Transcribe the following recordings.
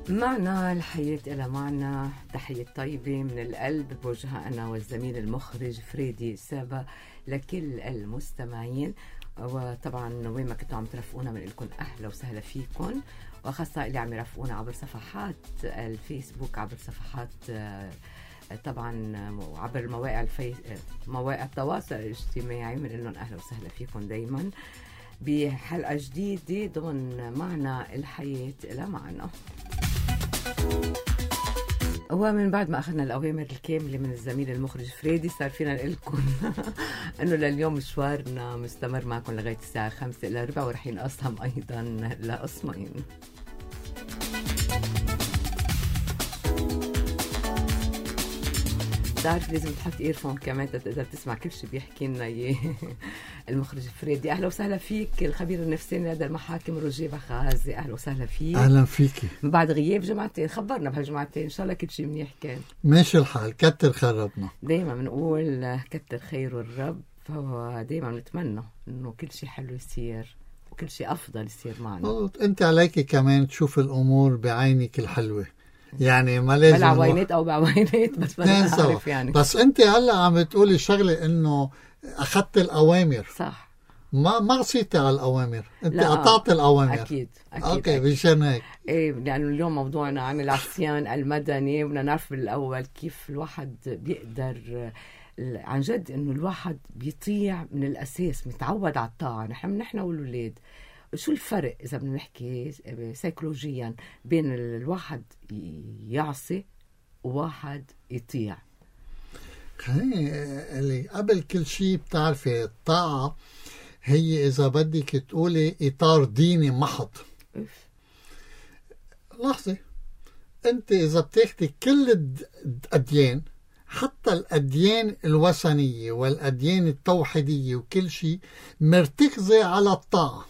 معنا الحياة إلى معنى. تحية طيبة من القلب بوجهها أنا والزميل المخرج فريدي سابا لكل المستمعين، وطبعا وين ما كنتوا عم ترافقونا من لكم أهلا وسهلا فيكم، وخاصة اللي عم يرافقونا عبر صفحات الفيسبوك، عبر صفحات طبعا عبر مواقع التواصل الاجتماعي، بنقول لهم أهلا وسهلا فيكم دايما بحلقة جديدة ضمن معنا الحياة إلى معنا. ومن بعد ما أخذنا الأوامر الكاملة من الزميل المخرج فريدي صار فينا نقول لكم أنه لليوم مشوارنا مستمر معكم لغاية الساعة 5 إلى ربع، ورح ينقسم أيضا لقسمين. تعرف لازم تحط إيرفون كمان تقدر تسمع كل شيء بيحكي لنا إياه المخرج فريدي. أهلا وسهلا فيك الخبير النفساني لدى المحاكم روجيه بخازي، أهلا وسهلا فيك. أهلا فيكي. من بعد غياب جمعتين خبرنا بهالجمعتين إن شاء الله كل شيء منيح كان. ماشي الحال، كتر خير ربنا. دايما بنقول كتر خير الرب، فهو دايما نتمنى إنه كل شيء حلو يصير وكل شيء أفضل يصير معنا. أنت عليك كمان تشوف الأمور بعينك الحلوة، يعني ما لازم بالعوينات او بعوينات بس ما بعرف يعني. بس انت هلا عم تقولي شغله انه اخذت الاوامر، صح؟ ما عصيتي على الاوامر، انت قطعت الاوامر. اكيد اوكي مشان هيك ايه، لانه اليوم موضوعنا عن العصيان المدني، بدنا نعرف بالاول كيف الواحد بيقدر عن جد انه الواحد بيطيع من الاساس، متعود على الطاعه. نحن والولاد شو الفرق إذا بدنا نحكي سيكولوجيا بين الواحد يعصي وواحد يطيع؟ اللي قبل كل شيء بتعرفي الطاعة هي إذا بدك تقولي إطار ديني محض. لحظة، أنت إذا بتاخدي كل الأديان، حتى الأديان الوثنية والأديان التوحيدية وكل شيء مرتكزة على الطاعة،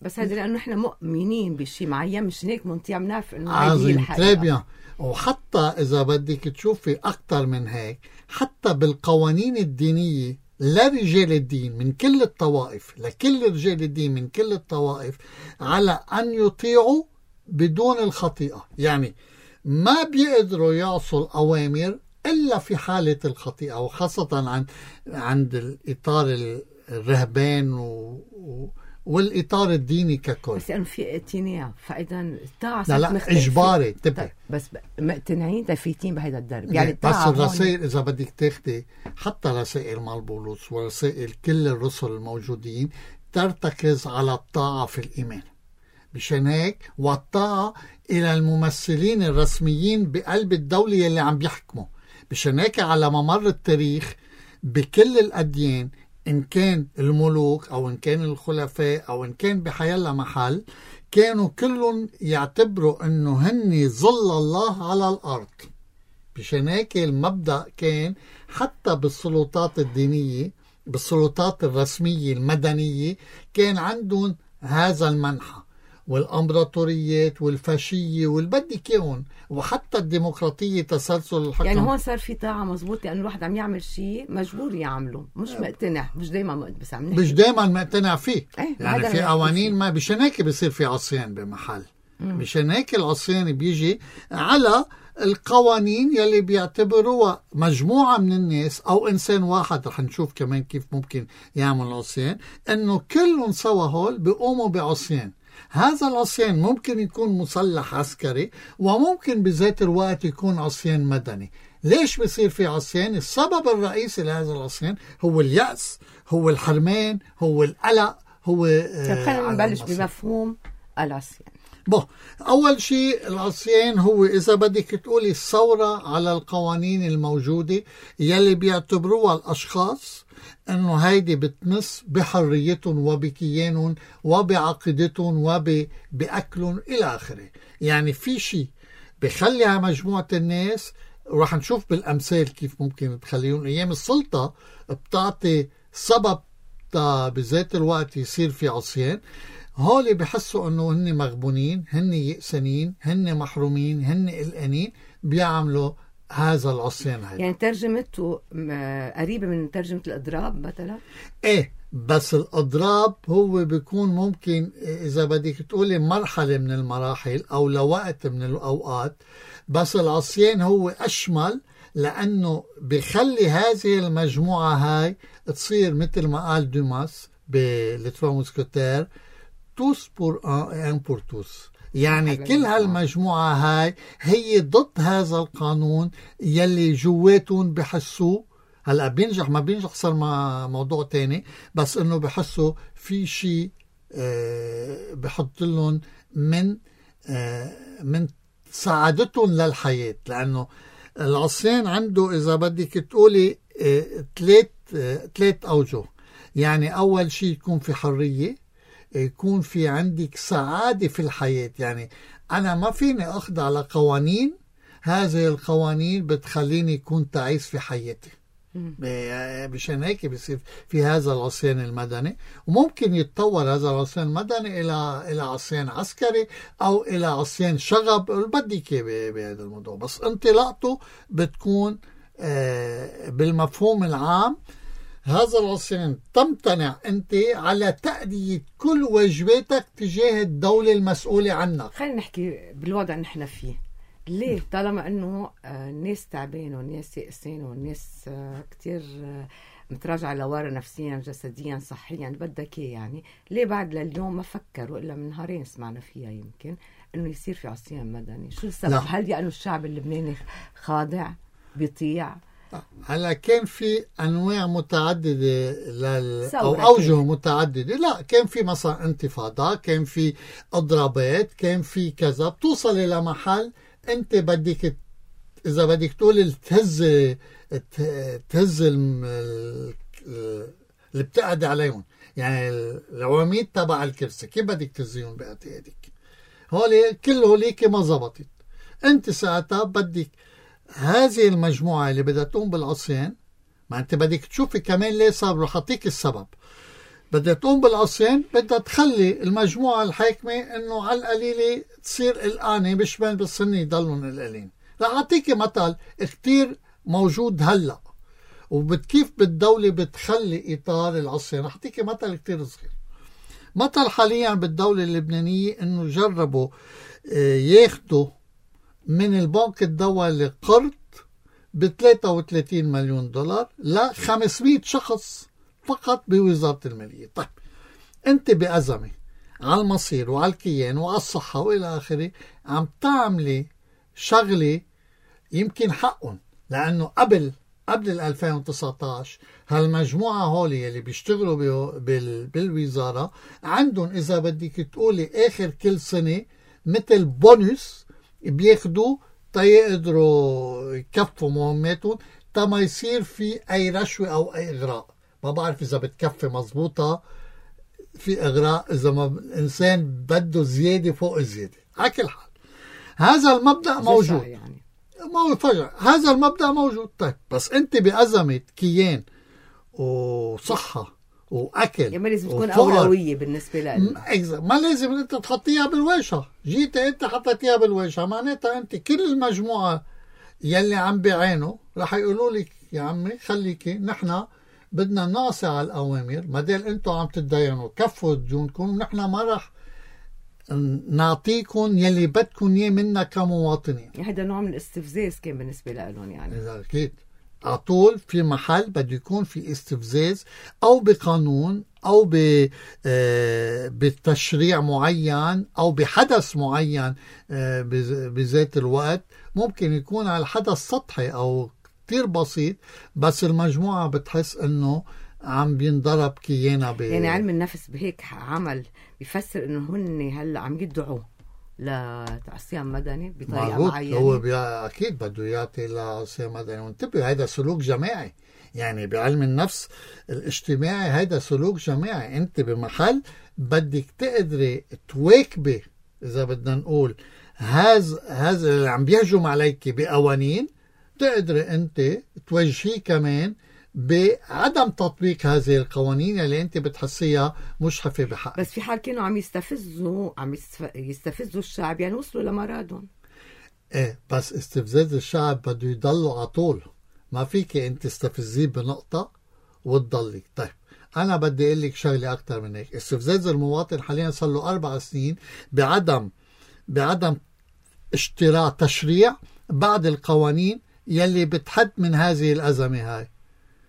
بس هذا لأنه إحنا مؤمنين بشيء معين، مش هيك منطيع بنعرف إنه هذه الحقيقة. وحتى إذا بدك تشوفي أكتر من هيك، حتى بالقوانين الدينية لرجال الدين من كل الطوائف، لكل رجال الدين من كل الطوائف، على أن يطيعوا بدون الخطيئة. يعني ما بيقدروا يعصوا الأوامر إلا في حالة الخطيئة، وخاصة عند الإطار الرهبان والإطار الديني ككل. بس لأنه في اقتناع، فإذا الطاعة لا إجباري تبقى. بس مقتنعين تفيتين بهذا الدرب يعني. بس الرسائل إذا بدك تاخدي حتى رسائل مال بولس ورسائل كل الرسل الموجودين ترتكز على الطاعة في الإيمان. مشان هيك والطاعة إلى الممثلين الرسميين بقلب الدولة اللي عم بيحكموا. مشان هيك على ممر التاريخ بكل الأديان، إن كان الملوك أو إن كان الخلفاء أو إن كان بحيالله محل، كانوا كلهم يعتبروا أنه هني ظل الله على الأرض. بشان هيك المبدأ كان حتى بالسلطات الدينية، بالسلطات الرسمية المدنية، كان عندهم هذا المنحى، والأمبراطوريات والفاشية والبدك يون، وحتى الديمقراطية تسلسل الحكم. يعني هون صار في طاعة مزبوط، لأنه الواحد عم يعمل شيء مجبور يعمله، مش مقتنع، مش دايما بس عم نحكي. مش دايما مقتنع فيه. يعني في قوانين ما، بشان هيك بيصير في عصيان بمحل. بشان هيك العصيان بيجي على القوانين يلي بيعتبروها مجموعة من الناس أو إنسان واحد. رح نشوف كمان كيف ممكن يعمل عصيان، إنه كلهم سوا هول بيقوموا بعصيان. هذا العصيان ممكن يكون مسلح عسكري، وممكن بذات الوقت يكون عصيان مدني. ليش بيصير في عصيان؟ السبب الرئيسي لهذا العصيان هو اليأس، هو الحرمان، هو القلق، هو خلينا نبلش بمفهوم العصيان. أول شيء العصيان هو إذا بدك تقولي الثورة على القوانين الموجودة يلي بيعتبروها الأشخاص أنه هيدي بتمس بحريتهم وبكيانهم وبعقيدتهم وبأكلهم إلى آخره. يعني في شيء بخليها مجموعة الناس، ورح نشوف بالأمثال كيف ممكن تخليهم. أيام السلطة بتعطي سبب بذات الوقت يصير في عصيان. هولي بحسوا أنه هن مغبونين، هن يأسنين، هن محرومين، هن قلقانين، بيعملوا هذا العصيان هيدا. يعني ترجمته قريبة من ترجمة الإضراب مثلا؟ ايه، بس الإضراب هو بيكون ممكن إذا بدك تقولي مرحلة من المراحل أو لوقت من الأوقات، بس العصيان هو أشمل لأنه بيخلي هذه المجموعة هاي تصير مثل ما قال دوماس بالتروا موسكوتير توس بور ان بور توس، يعني كل هالمجموعة هاي هي ضد هذا القانون يلي جواتهم بحسوه. هلأ بينجح ما بينجح صار موضوع تاني، بس انه بحسوا في شيء بحط لهم من سعادتهم للحياة، لأنه العصيان عنده إذا بدك تقولي ثلاث أوجه. يعني أول شيء يكون في حرية، يكون في عندك سعادة في الحياة، يعني أنا ما فيني أخضع لقوانين، هذه القوانين بتخليني يكون تعيس في حياتي. مشان هيك بيصير في هذا العصيان المدني، وممكن يتطور هذا العصيان المدني إلى عصيان عسكري أو إلى عصيان شغب بدك بهذا الموضوع، بس انطلاقته بتكون بالمفهوم العام. هذا العصيان تمتنع أنت على تأدية كل واجباتك تجاه الدولة المسؤولة عنك. خلينا نحكي بالوضع اللي نحن فيه، ليه طالما أنه الناس تعبانة والناس يأسين والناس كتير متراجعة لورا نفسيا جسديا صحيا بدك يعني، ليه بعد لليوم ما فكروا إلا من نهارين سمعنا فيها يمكن أنه يصير في عصيان مدني؟ شو السبب؟ لا. هل يعني الشعب اللبناني خاضع بيطيع؟ هلا كان في انواع متعدده او اوجه متعدده. لا، كان في مثلا انتفاضه، كان في اضرابات، كان في كذا، بتوصل الى محل انت بدك اذا بدك تقول تهز اللي بتقعد عليهم، يعني العواميد تبع الكرسي كيف بدك تهزيهم باعتيادك؟ هولي كل هوليك ما زبطت. انت ساعتها بدك هذه المجموعة اللي بدها تقوم بالعصيان، ما انت بدك تشوفي كمان ليه صار، رح اعطيك السبب. بدها تقوم بالعصيان، بدها تخلي المجموعة الحاكمة انه على القليلة تصير قلقانة، مش بين بالسن يضلون قلقانين. رح اعطيك مثل كتير موجود هلا وكيف بالدولة بتخلي اطار العصيان. رح اعطيك مثل كتير صغير. مثل حاليا بالدولة اللبنانية انه جربوا ياخدوا من البنك الدولي قرض ب$33 مليون ل 500 شخص فقط بوزارة المالية. طيب انت بأزمة على المصير وعلى الكيان وعلى الصحة وإلى آخره، عم تعملي شغلة يمكن حقهم، لأنه قبل 2019 هالمجموعة هولي اللي بيشتغلوا بالوزارة عندهم إذا بدك تقولي آخر كل سنة مثل بونus بياخدوا تيقدروا يكفوا مهماتهم، ما يصير في أي رشوة أو أي إغراء. ما بعرف إذا بتكفي مزبوطة، في إغراء إذا ما الإنسان بده زيادة فوق الزيادة. على كل حال هذا المبدأ موجود، يعني ما هو فجأة هذا المبدأ موجود. طيب بس أنت بأزمة كيان وصحة وأكل، يعني ما لازم تكون أولوية بالنسبة لك، ما لازم أنت تحطيها بالواجهة. جيت أنت حطيتيها بالواجهة، معناتها أنت كل المجموعة يلي عم بيعانوا رح يقولوا لك يا عمي خليكي، نحن بدنا نقصي على الأوامر، ما دام أنتوا عم تتدينوا كفوا ديونكم، نحن ما رح نعطيكم يلي بدكم إياه منا كمواطنين. هذا نوع من الاستفزاز كان بالنسبة لهم يعني. أكيد عطول في محل بده يكون في استفزاز أو بقانون أو بتشريع معين أو بحدث معين بذات الوقت. ممكن يكون على الحدث سطحي أو كتير بسيط، بس المجموعة بتحس أنه عم بينضرب كيانا يعني علم النفس بهيك عمل بيفسر أنه هن هلأ عم يدعوا لعصيان مدني بطريقة معينة. هو أكيد بده يعطي لعصيان مدني. وانتبه هذا سلوك جماعي، يعني بعلم النفس الاجتماعي هذا سلوك جماعي. انت بمحل بدك تقدري تواكبي إذا بدنا نقول هذا اللي عم بيهجم عليك بقوانين، تقدري انت توجهيه كمان بعدم تطبيق هذه القوانين اللي انت بتحسيها مشحفة بحق. بس في حال كانوا عم يستفزوا الشعب، يعني وصلوا لمرادهم. ايه بس استفزاز الشعب بده يضلوا على طول، ما فيك انت تستفزيه بنقطة وتضلي. طيب انا بدي اقول لك شغلة اكتر من هيك. استفزاز المواطن حاليا صار له 4 سنين بعدم اشتراع تشريع بعد القوانين يلي بتحد من هذه الأزمة هاي.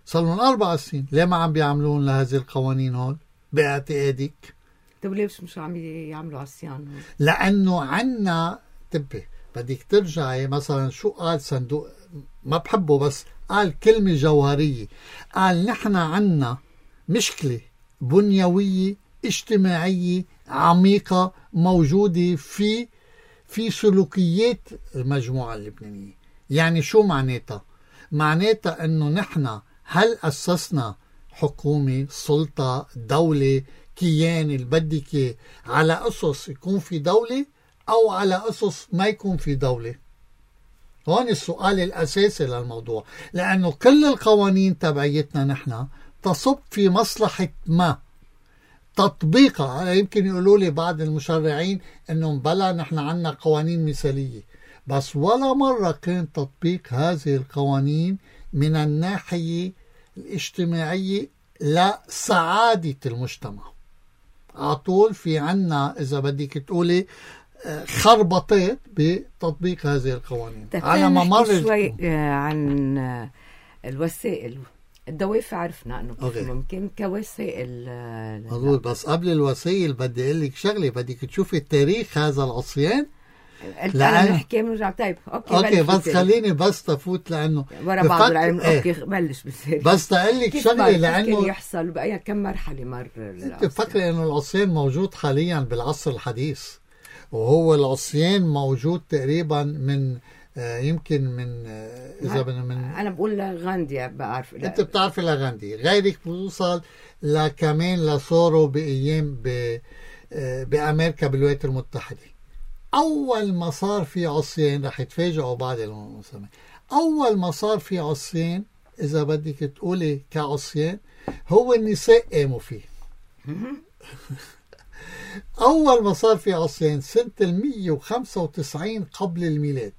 صار لهم 4 سنين، ليه ما عم بيعملون لهذه القوانين هون باعتقادك؟ طيب ليش مش عم يعملوا عصيان هون؟ لأنه عنا تبي بدك ترجعي مثلا شو قال صندوق، ما بحبه بس قال كلمة جوهرية، قال نحن عنا مشكلة بنيوية اجتماعية عميقة موجودة في سلوكيات المجموعة اللبنانية. يعني شو معناتها؟ معناتها انه نحن هل اسسنا حكومة، سلطة، دولة، كيان اللي بدك على اسس يكون في دولة او على اسس ما يكون في دولة؟ هون السؤال الاساسي للموضوع، لانه كل القوانين تبعيتنا نحن تصب في مصلحة ما تطبيقها. يمكن يقولوا لي بعض المشرعين انه بلا نحن عنا قوانين مثالية، بس ولا مرة كان تطبيق هذه القوانين من الناحية الاجتماعية لسعادة المجتمع. عطول في عنا إذا بدك تقولي خربطات بتطبيق هذه القوانين على ممر شوي عن الوسائل. الدوافع عرفنا انه كيف ممكن كوسائل مضبوط، بس قبل الوسائل بدي اقول لك شغله، بدك تشوفي تاريخ هذا العصيان. لا نحكي بنرجع. طيب اوكي بس خليني بس تفوت لانه ورا بعض العلم. اوكي بلش بالسير. بس اقول لك شغله لانه كيف يحصل باي كم مرحله مر. انت فكري انه العصيان موجود حاليا بالعصر الحديث، وهو العصيان موجود تقريبا من يمكن من اذا من انا بقول لغاندي بعرف. انت بتعرفي لغاندي، غيرك بوصل لكمان لصورو بايام بامريكا بالولايات المتحده. اول ما صار في عصيان رح يتفاجئوا بعض المسلمين، اول ما صار في عصيان اذا بدك تقولي كعصيان هو النساء قاموا فيه. اول ما صار في عصيان سنه 195 قبل الميلاد.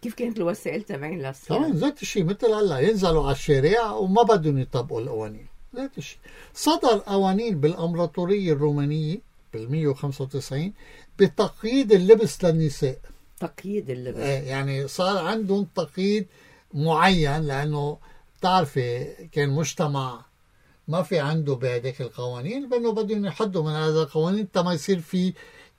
كيف كانت الوسائل تبعين للصيام؟ طبعا ذات الشيء مثل هلا ينزلوا على الشارع وما بدهم يطبقوا القوانين. ذات الشيء صدر قوانين بالامبراطوريه الرومانيه بال 195 بتقييد اللبس للنساء. تقييد اللبس يعني صار عندهم تقييد معين، لانه بتعرفي كان مجتمع ما في عنده بهذيك القوانين، بانه بدهم يحدوا من هذا القوانين ما يصير في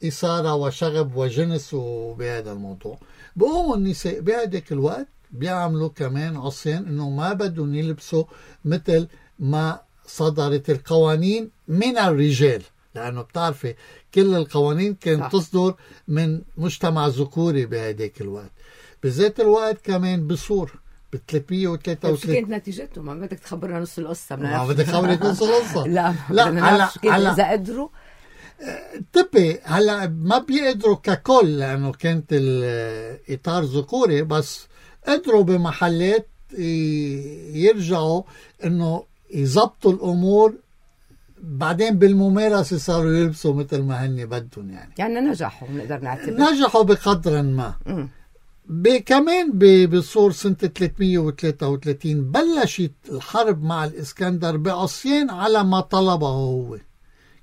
اثاره وشغب وجنس وبهذا الموضوع. بقوموا النساء بهذاك الوقت بيعملوا كمان عصيان انه ما بدهم يلبسوا مثل ما صدرت القوانين من الرجال، لانه بتعرفي كل القوانين كانت تصدر من مجتمع ذكوري بهذاك الوقت. بذات الوقت كمان بصور ب 333. شو كانت نتيجته؟ ما بدك تخبرنا نص القصه. ما بدك تخبرك نص القصه. لا هلا اذا قدروا تبي هلا ما بيقدروا ككل لانه كانت الاطار ذكوري، بس قدروا بمحلات يرجعوا انه يزبطوا الامور. بعدين بالممارسه صاروا يلبسوا مثل ما هن بدهم. يعني نجحوا، بنقدر نعتبر نجحوا بقدر ما. كمان بصور سنة 333 بلشت الحرب مع الإسكندر بعصيان على ما طلبه هو.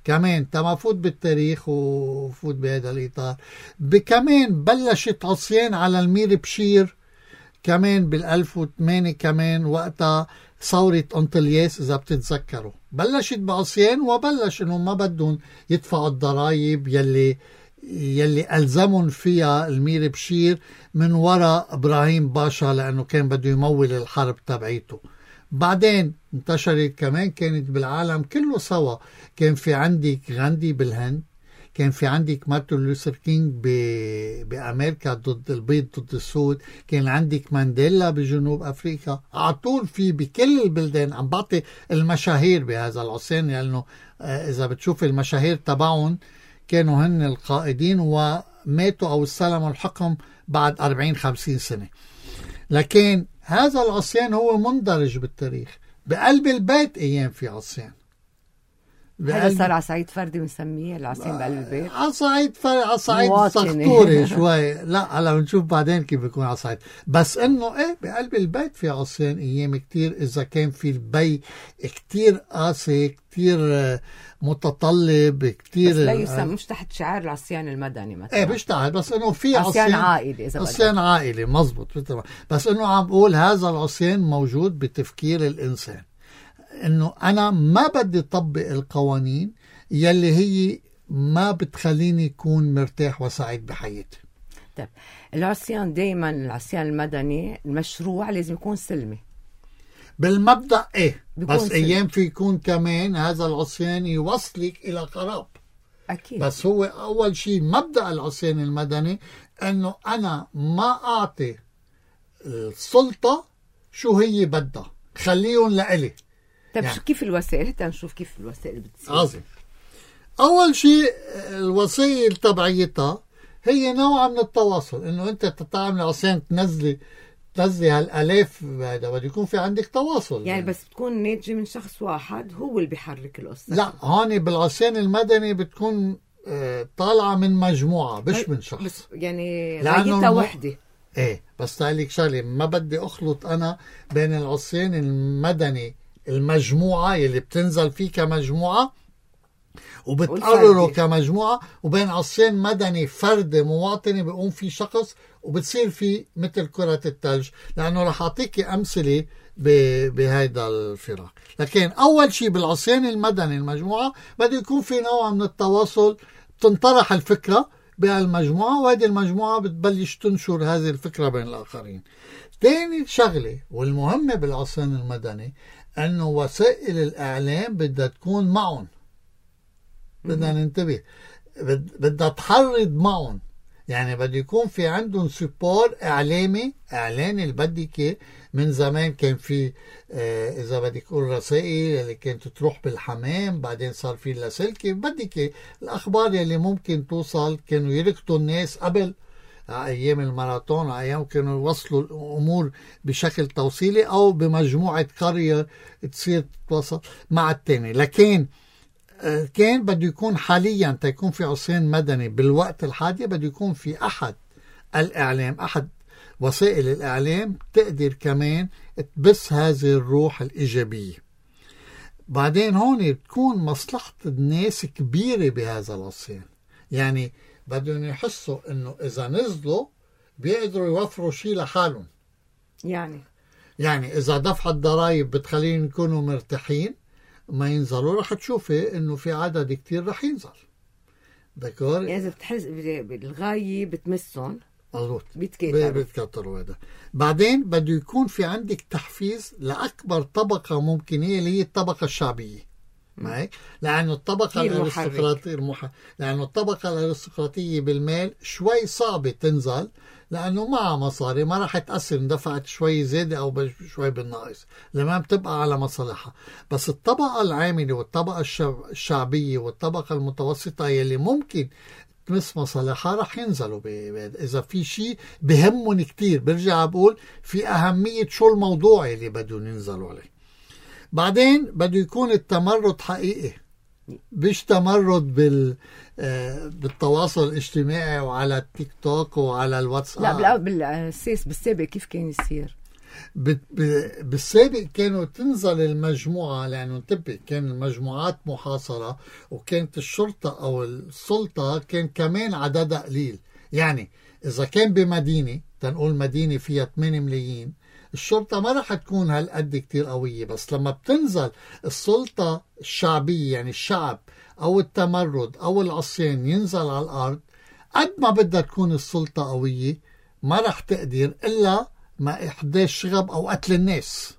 كمان تما فوت بالتاريخ وفوت بهذا الإطار. كمان بلشت عصيان على المير بشير كمان بال1008 كمان وقتها ثورة أنطلياس إذا بتتذكروا. بلشت بعصيان وبلش إنه ما بدهم يدفعوا الضرائب يلي ألزمهم فيها المير بشير من وراء إبراهيم باشا، لأنه كان بده يمول الحرب تبعيته. بعدين انتشرت كمان، كانت بالعالم كله سوا. كان في عندك غاندي بالهند، كان في عندك مارتن لوثر كينج بأمريكا ضد البيض ضد السود، كان عندك مانديلا بجنوب أفريقيا. عطول في بكل البلدان. عم بعطي المشاهير بهذا العصيان لأنه إذا بتشوف المشاهير تبعهم كانوا هن القائدين وماتوا أو استلموا الحكم بعد 40-50 سنة. لكن هذا العصيان هو مندرج بالتاريخ. بقلب البيت أيام في عصيان، هذا صار على صعيد فردي بنسميه العصيان بقلب البيت. على صعيد مواطنة. سخطوري شوي. لا هلا بنشوف بعدين كيف بيكون على صعيد، بس انه ايه بقلب البيت في عصيان ايام كتير، اذا كان في البي كتير قاسي، كتير متطلب، كتير بس لا يسمى مش تحت شعار العصيان المدني مثلا. ايه بيشتغل، بس انه في عصيان عائلي، اذا عصيان عائلي مزبوط. بس انه عم بقول هذا العصيان موجود بتفكير الانسان، انه انا ما بدي طبق القوانين يلي هي ما بتخليني يكون مرتاح وسعيد بحياتي. طيب العصيان دايما، العصيان المدني المشروع لازم يكون سلمي بالمبدأ ايه، بس سلمي. ايام في يكون كمان هذا العصيان يوصلك الى خراب. اكيد. بس هو اول شيء مبدأ العصيان المدني انه انا ما اعطي السلطة شو هي بدها، خليهم لإلي. طيب يعني كيف الوسائل؟ حتى نشوف كيف الوسائل بتصير. عظيم. أول شيء الوسائل تبعيتها هي نوع من التواصل، إنه أنت تتعامل عشان تنزلي هالآلاف، هذا بده يكون في عندك تواصل. يعني بس بتكون ناتجة من شخص واحد هو اللي بيحرك القصة. لا، هون بالعصيان المدني بتكون طالعة من مجموعة مش من شخص. بس يعني غايتها وحدة. ايه، بس تعاليك شغلة، ما بدي اخلط انا بين العصيان المدني المجموعة يلي بتنزل فيه كمجموعة وبتقرروا كمجموعة، وبين عصيان مدني فردي مواطني بيقوم فيه شخص وبتصير فيه مثل كرة الثلج، لأنه رح أعطيك أمثلة بهذا الفراق. لكن أول شيء بالعصيان المدني المجموعة بده يكون في نوع من التواصل، تنطرح الفكرة بهالمجموعة، وهذه المجموعة بتبلش تنشر هذه الفكرة بين الآخرين. ثاني شغلة والمهمة بالعصيان المدني أنه وسائل الإعلام بدها تكون معهم، بدنا ننتبه، بدها تحرض معهم. يعني بده يكون في عندهم سبور إعلامي، إعلاني البدكة. من زمان كان في إذا بدك تقول رسائل اللي كانت تروح بالحمام، بعدين صار في لاسلكي بدكة. الأخبار اللي ممكن توصل كانوا يركضوا الناس قبل أيام الماراثون، أيام كانوا يوصلوا الأمور بشكل توصيلي أو بمجموعة قرية تصير تتواصل مع التاني. لكن كان بده يكون حاليا تيكون في عصيان مدني بالوقت الحالي بده يكون في أحد الإعلام، أحد وسائل الإعلام تقدر كمان تبث هذه الروح الإيجابية. بعدين هون بتكون مصلحة الناس كبيرة بهذا العصيان، يعني بدهم يحسوا إنه إذا نزلوا بيقدروا يوفروا شيء لحالهم. يعني إذا دفع الضرائب بتخليهم يكونوا مرتاحين، ما ينزلوا رح تشوفي إنه في عدد كتير رح ينزل. دكور؟ يعني إذا بتحس بالغاية بتمسهم مضبوط بيتكتروا. هذا. بعدين بده يكون في عندك تحفيز لأكبر طبقة ممكنة اللي هي الطبقة الشعبية. معي؟ لأنه الطبقة الأرستقراطية بالمال شوي صعبة تنزل، لأنه معها مصاري ما راح تأثر إن دفعت شوي زيادة أو شوي بالناقص، لما بتبقى على مصالحها. بس الطبقة العاملة والطبقة الشعبية والطبقة المتوسطة يلي ممكن تمس مصالحها رح ينزلوا إذا في شيء بهمهم كتير. برجع بقول في أهمية شو الموضوع اللي بدهم ينزلوا عليه. بعدين بده يكون التمرد حقيقي، مش تمرد بالتواصل الاجتماعي وعلى التيك توك وعلى الواتساب. لا بالسابق كيف كان يصير؟ بالسابق كانوا تنزل المجموعة، لأنه انتبه كان المجموعات محاصرة، وكانت الشرطة أو السلطة كان كمان عددها قليل. يعني إذا كان بمدينة تنقول مدينة فيها 8 ملايين، الشرطة ما رح تكون هالقد كتير قوية. بس لما بتنزل السلطة الشعبية، يعني الشعب أو التمرد أو العصيان ينزل على الأرض، قد ما بدها تكون السلطة قوية ما رح تقدر إلا ما إحداث شغب أو قتل الناس.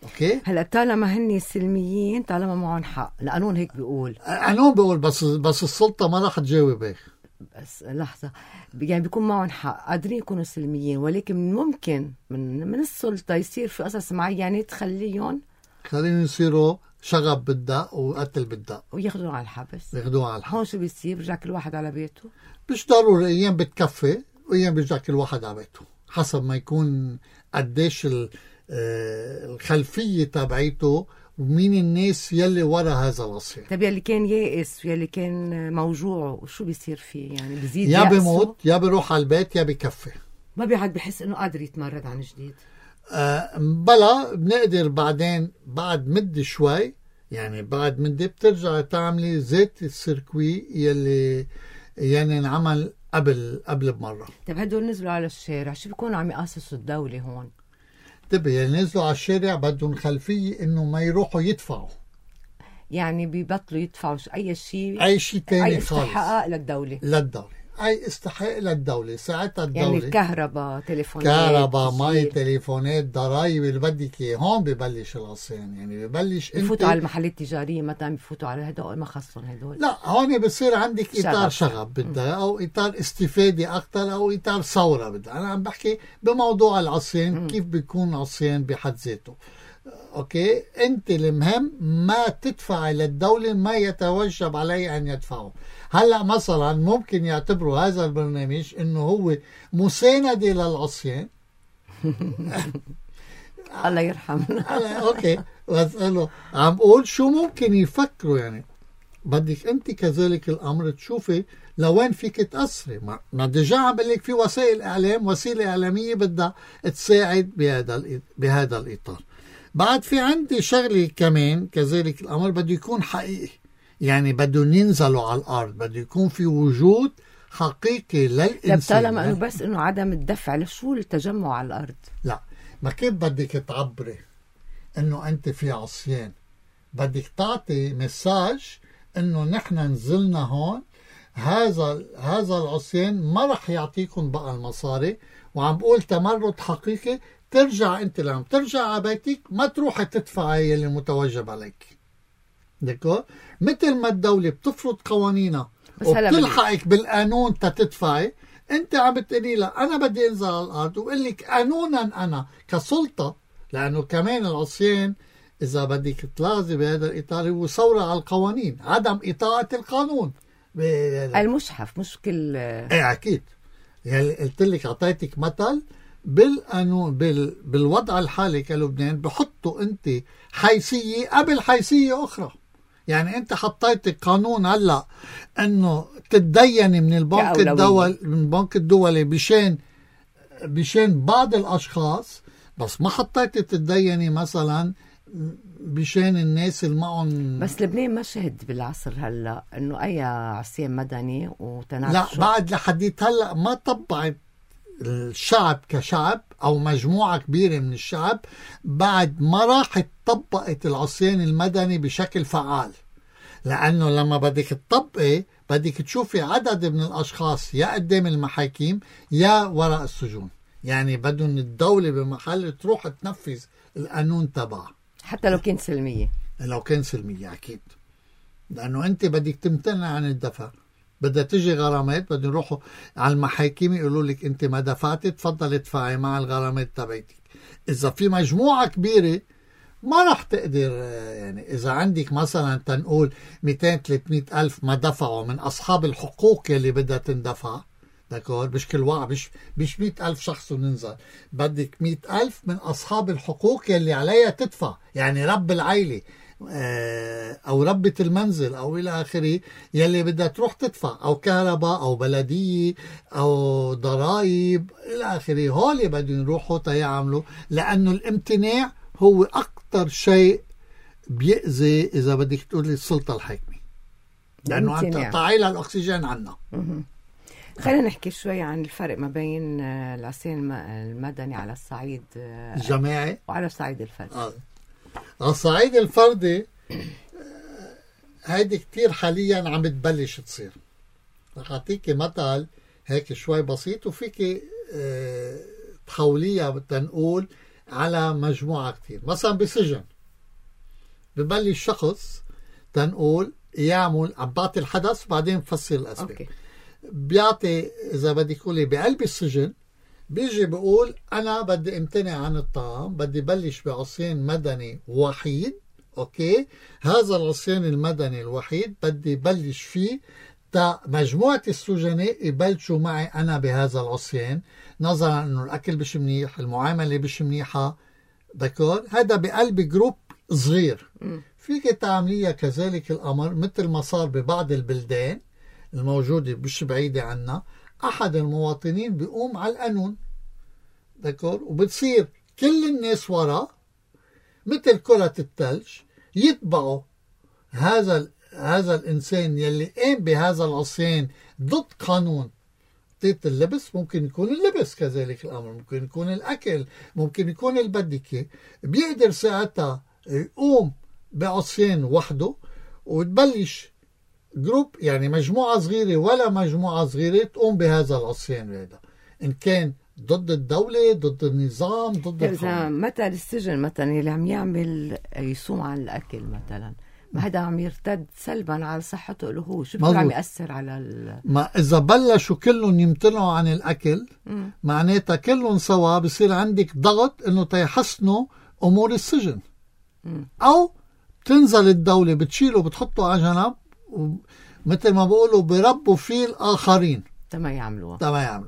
أوكي؟ هلا طالما هني سلميين، طالما معهم حق، القانون هيك بيقول. القانون بيقول بس السلطة ما رح تجاوب هيك. بس لحظة، يعني بيكون معهم حق، قادرين يكونوا سلميين، ولكن ممكن من السلطة يصير في قصص معينة تخليهم يصيروا شغب بالدق وقتل بالدق وياخذوه على الحبس. هون شو بيصير؟ بيرجع كل واحد على بيته؟ مش ضروري، أيام بتكفي وأيام بيرجع كل واحد على بيته، حسب ما يكون قديش الخلفية تبعيته ومين الناس يلي ورا هذا العصيان. طيب يلي كان يائس ويلي كان موجوع شو بيصير فيه؟ يعني بيزيد يا يأسه؟ بيموت يا بيروح على البيت يا بكفي. ما بيعد بحس انه قادر يتمرد عن جديد. بلا بنقدر بعدين بعد مدة شوي، يعني بعد مدة بترجع تعملي زيت السيركوي يلي يعني انعمل قبل بمرة. طيب هدول نزلوا على الشارع شو بيكونوا عم يقاصصوا الدولة هون؟ طيب يعني نزلوا على الشارع بدهم خلفية انه ما يروحوا يدفعوا، يعني بيبطلوا يدفعوا اي شيء تاني خالص، اي استحقاق للدولة، اي استحقاق للدولة. ساعتها الدولة يعني الكهرباء، تليفونات، كهرباء، مي، تليفونات، ضرائب اللي بدك اياه. هون ببلش العصيان، يعني ببلش بفوتوا على المحلات التجارية مثلا، بفوتوا على هدول ما خصهم هدول. لا هون بصير عندك اطار شغب بدها، او اطار استفادة اكثر، او اطار ثورة بدها. انا عم بحكي بموضوع العصيان كيف بيكون عصيان بحد ذاته. اوكي، انت المهم ما تدفع للدولة ما يتوجب عليه ان يدفعه. هلا مثلا ممكن يعتبروا هذا البرنامج انه هو مساندة للعصيان. الله يرحمنا. اوكي، بس انه عم بقول شو ممكن يفكروا. يعني بدك انت كذلك الامر تشوفي لوين فيك تأثري. ما ديجا عم بقول لك في وسائل اعلام، وسيلة اعلامية بدها تساعد بهذا الاطار. بعد في عندي شغلة كمان كذلك الأمر بده يكون حقيقي، يعني بدهم ينزلوا على الأرض، بده يكون في وجود حقيقي للإنسان. طالما أنه بس أنه عدم الدفع لشو التجمع على الأرض؟ لا، ما كيف بدك تعبري أنه أنت في عصيان؟ بدك تعطي مساج أنه نحن نزلنا هون، هذا العصيان ما رح يعطيكم بقى المصاري، وعم بقول تمرد حقيقي. ترجع انت لما ترجع على بيتك ما تروح تدفعي اللي متوجب عليك. دكو مثل ما الدولة بتفرض قوانينها وبتلحقك بالقانون تدفعي، انت عم بتقولي لا انا بدي انزل على الارض وقول لك قانونا انا كسلطة. لانه كمان العصيان اذا بدك تلاحظي بهذا الاطار هو ثورة على القوانين، عدم اطاعة القانون. المشحف مش كل ايه اكيد. يعني قلت لك اعطيتك مثل بالقانون بالوضع الحالي كلبنان بحطوا انت حيثية قبل حيثية اخرى. يعني انت حطيت قانون هلا انه تتديني من البنك الدولي بشان بعض الاشخاص، بس ما حطيت تتديني مثلا بشان الناس اللي معهم. بس لبنان ما شهد بالعصر هلا انه اي عصيان مدني وتناقش. لا بعد لحديت هلا ما طبعت الشعب كشعب او مجموعة كبيرة من الشعب، بعد ما راحت طبقت العصيان المدني بشكل فعال. لانه لما بدك تطبقي بدك تشوفي عدد من الاشخاص يا قدام المحاكم يا وراء السجون. يعني بدهم الدولة بمحل تروح تنفذ القانون تبعها حتى لو كان سلمية. لو كان سلمية أكيد، لأنه أنت بدك تمتنع عن الدفع. بدها تجي غرامات، بدهم يروحوا على المحاكم يقولوا لك أنت ما دفعتي تفضل ادفعي مع الغرامات تبعتك. إذا في مجموعة كبيرة ما رح تقدر. يعني إذا عندك مثلا تنقول 200-300 ألف ما دفعوا من أصحاب الحقوق يلي بدها تندفع، داكور، مش كل واحد مش 100,000 شخص وننزل، بدك 100,000 من أصحاب الحقوق يلي عليها تدفع. يعني رب العائلة أو ربة المنزل أو إلى آخره يلي بدها تروح تدفع، أو كهرباء أو بلدية أو ضرائب إلى آخره. هولي بدهم يروحوا تيعملوا، لأنه الامتناع هو أكتر شيء بيأذي إذا بدك تقولي السلطة الحاكمة، لأنه أنت قطعي لها الأكسجين عنا. خلينا نحكي شوي عن الفرق ما بين العصيان المدني على الصعيد الجماعي وعلى الصعيد الفردي. على الصعيد الفردي هيدي كتير حاليا عم تبلش تصير. رح أعطيكي مثل هيك شوي بسيط وفيك تحوليها تنقول على مجموعة كتير. مثلا بسجن ببلش شخص تنقول يعمل عم بعطي الحدث بعدين بفسر الأسباب. بيعطي إذا بدك تقولي بقلب السجن بيجي بيقول أنا بدي امتنع عن الطعام، بدي بلش بعصيان مدني وحيد. أوكي، هذا العصيان المدني الوحيد بدي بلش فيه تا مجموعة السجناء يبلشوا معي أنا بهذا العصيان، نظرا أنه الأكل مش منيح، المعاملة مش منيحة. دكور، هذا بقلب جروب صغير. فيك تعمليها كذلك الأمر مثل ما صار ببعض البلدان الموجودة مش بعيدة عنا. أحد المواطنين بيقوم على القانون دكور، وبتصير كل الناس وراه مثل كرة الثلج يتبعوا هذا الإنسان يلي قام بهذا العصيان ضد قانون تيت اللبس. ممكن يكون اللبس كذلك الأمر، ممكن يكون الأكل، ممكن يكون البدكة. بيقدر ساعتها يقوم بعصيان وحده وتبلش جروب، يعني مجموعة صغيرة ولا مجموعة صغيرة تقوم بهذا العصيان هذا، إن كان ضد الدولة، ضد النظام، ضد إذا مثل السجن مثلا اللي عم يعمل يصوم عن الأكل مثلا، ما هذا عم يرتد سلبا على صحته له هو، شو عم يأثر على ما إذا بلشوا كلهم يمتنعوا عن الأكل معناتها كلهم سوا بصير عندك ضغط إنه تيحسنوا أمور السجن. أو تنزل الدولة بتشيله بتحطه على جنب، ومثل ما بقولوا بربوا فيه الآخرين تما يعملوها.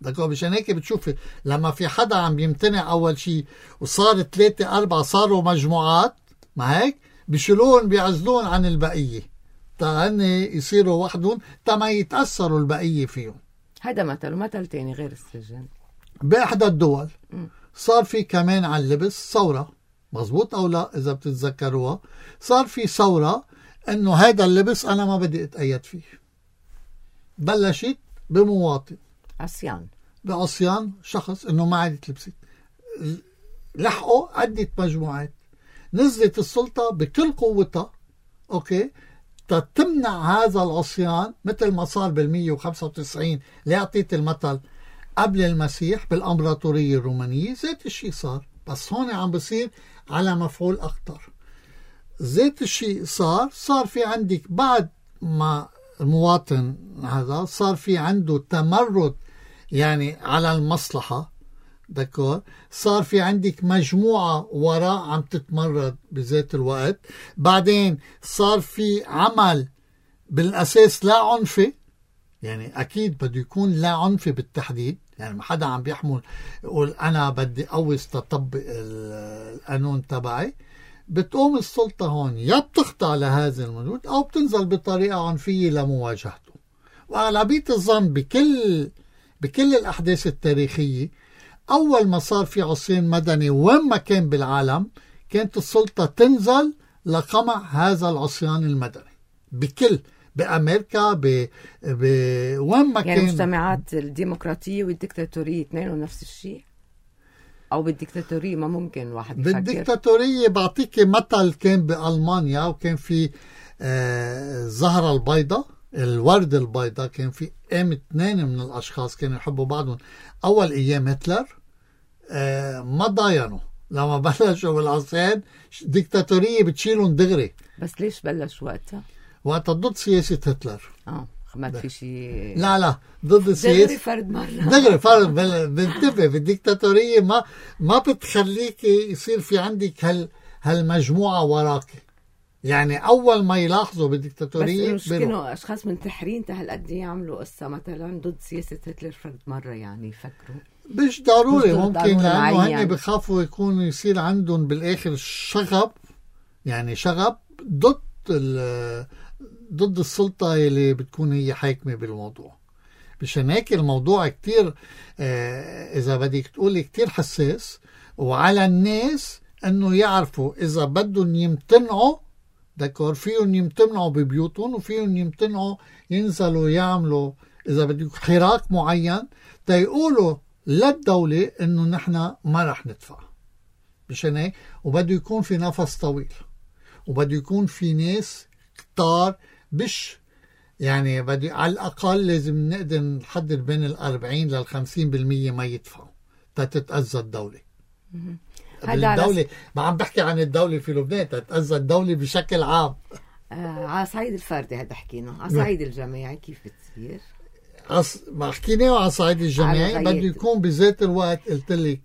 دكتور مشان هيك بتشوفي لما في حدا عم يمتنع أول شيء وصار 3-4 صاروا مجموعات، ما هيك بيشيلون بيعزلون عن البقية هن يصيروا وحدهم ما يتأثروا البقية فيهم. هذا مثل تاني غير السجن. بإحدى الدول صار في كمان على اللبس ثورة، مزبوط أو لا؟ إذا بتتذكروها صار في ثورة إنه هذا اللبس أنا ما بدي أتأيد فيه. بلشت بمواطن بعصيان شخص إنه ما عاد تلبسي، لحقوا عدة مجموعات، نزلت السلطة بكل قوتها أوكي تتمنع هذا العصيان، مثل ما صار بال195 اللي أعطيت المثل قبل المسيح بالأمبراطورية الرومانية. ذات الشيء صار، بس هون عم بصير على مفعول أكتر. ذات الشيء صار في عندك بعد ما المواطن هذا صار في عنده تمرد يعني على المصلحة دكور، صار في عندك مجموعة وراء عم تتمرد بذات الوقت. بعدين صار في عمل بالأساس لا عنفي، يعني أكيد بده يكون لا عنفي بالتحديد، يعني ما حدا عم بيحمل يقول أنا بدي أوز تطبق القانون تبعي. بتقوم السلطة هون يا بتخضع لهذا الموجود أو بتنزل بطريقة عنفية لمواجهته. وأغلبية الظن بكل الأحداث التاريخية أول ما صار في عصيان مدني وين ما كان بالعالم كانت السلطة تنزل لقمع هذا العصيان المدني بأمريكا وين ما يعني كان. المجتمعات الديمقراطية والديكتاتورية اثنين نفس الشيء، أو بالديكتاتورية ما ممكن واحد يفكر. بالديكتاتورية بعطيك مثل كان بألمانيا، وكان في الزهرة البيضاء الورد البيضاء، كان في 2 من الأشخاص كانوا يحبوا بعضهم أول أيام هتلر، ما ضاينوا لما بلشوا بالعصيان ديكتاتورية بتشيلهم دغري. بس ليش بلش وقتها ضد سياسة هتلر. ما في شيء. لا ضد السياسة دغري فرد مرة دغري فرد. بنتبه بالديكتاتورية ما بتخليك يصير في عندك هالمجموعة وراك. يعني أول ما يلاحظوا بالديكتاتورية بس كانوا أشخاص منتحرين هالقد يعملوا قصة مثلا ضد سياسة هتلر فرد مرة، يعني يفكروا مش ضروري ممكن لأنه هن بخافوا يكون يصير عندهم بالآخر شغب، يعني شغب ضد السلطة اللي بتكون هي حاكمة بالموضوع. مشان هيك الموضوع كتير إذا بدك تقولي كتير حساس، وعلى الناس أنه يعرفوا إذا بدهم يمتنعوا دكور فيهم يمتنعوا ببيوتهم، وفيهم يمتنعوا ينزلوا يعملوا إذا بدك حراك معين تيقولوا للدولة إنه نحن ما رح ندفع. مشان هيك وبده يكون في نفس طويل، وبده يكون في ناس كتار، مش يعني بدي على الأقل لازم نقدر نحدد بين 40 ل 50% ما يدفعوا تتأذى الدولة. الدولة ما عم بحكي عن الدولة في لبنان، تتأذى الدولة بشكل عام. على صعيد الفردي هذا حكينا، على صعيد الجماعي كيف بتصير؟ ما حكينا على صعيد الجماعي بده يكون بذات الوقت قلت لك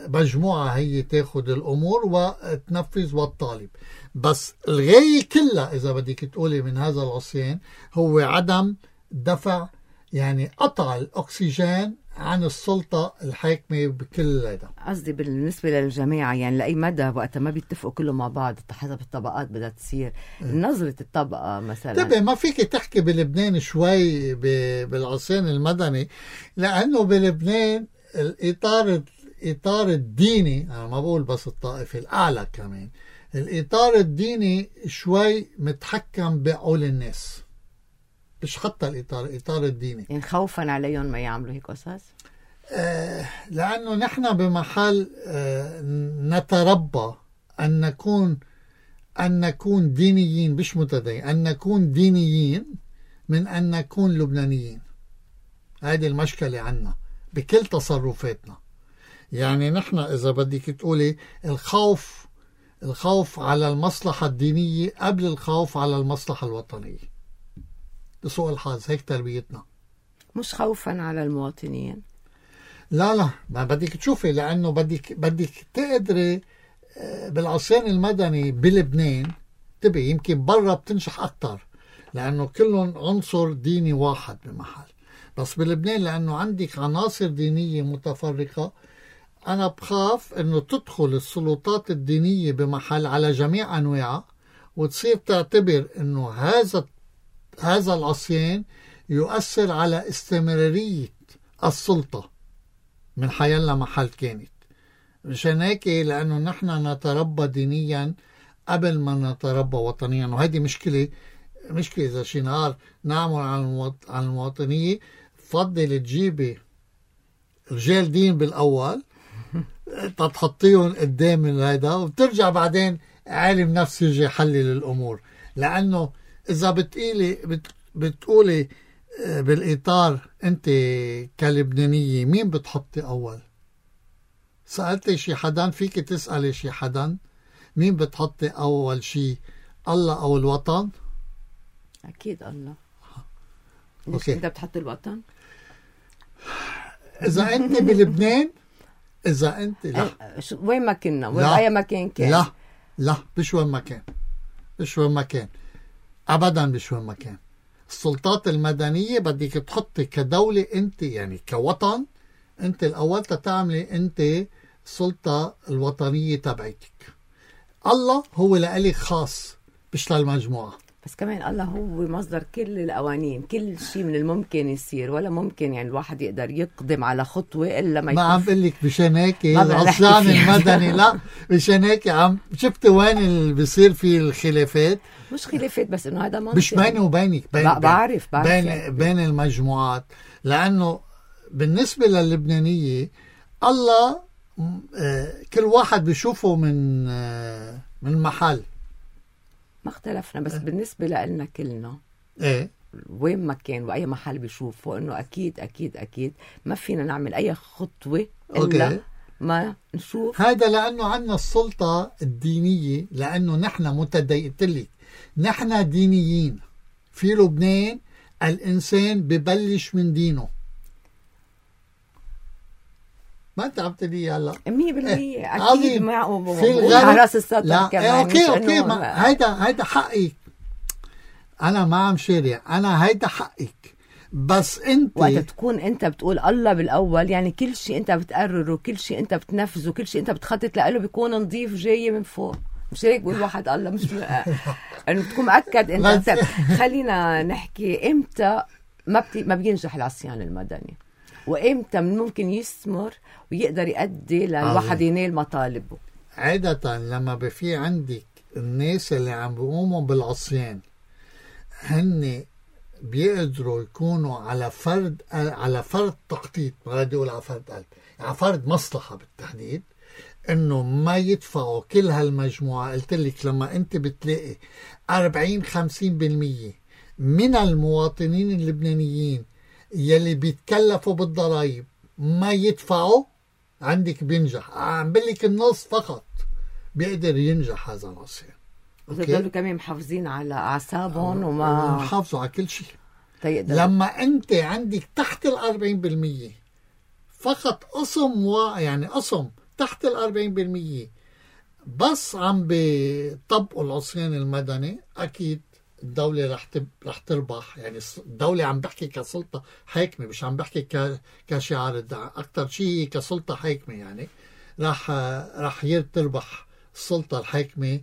مجموعة هي تاخد الأمور وتنفذ والطالب. بس الغاية كلها إذا بدك تقولي من هذا العصيان هو عدم دفع، يعني قطع الأكسجين عن السلطة الحاكمة بكل هذا. قصدي بالنسبة للجماعة يعني لأي مدى وقت ما بيتفقوا كلهم مع بعض حسب الطبقات بدها تصير نظرة الطبقة مثلا. طبعا ما فيك تحكي بلبنان شوي بالعصيان المدني، لأنه بلبنان الإطار الديني، أنا ما بقول بس الطائفي الأعلى كمان، الإطار الديني شوي متحكم بعقول الناس، مش حتى الإطار الديني، يعني خوفا عليهم ما يعملوا هيك قصص. لأنه نحن بمحل نتربى أن نكون دينيين، مش متدين، أن نكون دينيين من أن نكون لبنانيين. هذه المشكلة عنا بكل تصرفاتنا. يعني نحن إذا بدك تقولي الخوف على المصلحة الدينية قبل الخوف على المصلحة الوطنية. لسوء الحظ هيك تربيتنا. مش خوفا على المواطنين. لا ما بدك تشوفي، لأنه بدك تقدري بالعصيان المدني بلبنان تبي يمكن برا بتنجح أكتر لأنه كلهم عنصر ديني واحد بمحل، بس بلبنان لأنه عندك عناصر دينية متفرقة، أنا بخاف أنه تدخل السلطات الدينية بمحل على جميع أنواعها وتصير تعتبر أنه هذا العصيان يؤثر على استمرارية السلطة من حيالله محل كانت. مشان هيك لأنه نحن نتربى دينيا قبل ما نتربى وطنيا، وهذه مشكلة إذا شي نهار نعمل عن المواطنية فضل تجيبي رجال دين بالأول تحطيهم قدام هذا وبترجع بعدين عالم نفس يجي يحلل الأمور. لأنه إذا بتقولي بالإطار أنت كلبنانية مين بتحطي أول؟ سألتي شي حدا؟ فيك تسألي شي حدا مين بتحطي أول شي، الله أو الوطن؟ أكيد الله. ليش أنت بتحط الوطن؟ إذا أنت بلبنان، إذا أنت لا وين ما كنا وين مكان كان، لا مش وين ما كان أبدا، مش وين ما كان. السلطات المدنية بدك تحطي كدولة أنت، يعني كوطن أنت الأول تعملي أنت السلطة الوطنية تبعتك. الله هو لإلك خاص مش للمجموعة. بس كمان الله هو مصدر كل القوانين، كل شيء من الممكن يصير، ولا ممكن يعني الواحد يقدر يقدم على خطوة إلا ما عم بقول لك مشان هيك العصيان المدني لا مشان هيك عم شفت وين اللي بيصير فيه الخلافات. مش خلافات بس إنه هذا منطق، مش بيني وبينك، بعرف بين المجموعات. لأنه بالنسبة للبنانية الله كل واحد بيشوفه من محل. ما اختلفنا، بس بالنسبة لنا كلنا ايه وين ما كان وأي محل بيشوفه إنه أكيد ما فينا نعمل أي خطوة إلا ما نشوف هذا. لأنه عنا السلطة الدينية، لأنه نحن متدينين، نحن دينيين في لبنان. الإنسان ببلش من دينه. ما انت عم تقولي هلا 100% اكيد في على راس السطر لا كمان. اوكي هيدا حقك، انا ما عم شارع، انا هيدا حقك. بس انت وقت تكون انت بتقول الله بالاول، يعني كل شيء انت بتقرره، كل شيء انت بتنفذه، كل شيء انت بتخطط له بيكون نظيف جاي من فوق. مش هيك بقول واحد الله مش انه تكون مأكد انت. خلينا نحكي امتى ما بينجح العصيان المدني، وإمتى ممكن يستمر ويقدر يؤدي للواحد ينال مطالبه. عادة لما في عندك الناس اللي عم بيقوموا بالعصيان هن بيقدروا يكونوا على فرد تخطيط، ما بدي اقول على فرد قلب، على فرد مصلحة بالتحديد، انه ما يدفعوا كل هالمجموعة. قلت لك لما انت بتلاقي 40-50% من المواطنين اللبنانيين يلي بيتكلفوا بالضرائب ما يدفعوا، عندك بينجح. عم بقلك النص فقط بيقدر ينجح هذا العصيان. بيضلوا كمان محافظين على أعصابهم وما محافظوا على كل شيء. لما أنت عندك تحت 40% فقط قسم يعني قسم تحت 40% بس عم بيطبقوا العصيان المدني، أكيد الدولة رح تربح. يعني الدولة عم بحكي كسلطة حاكمة، مش عم بحكي كشعار الدعم، أكتر شيء كسلطة حاكمة. يعني رح تربح السلطة الحاكمة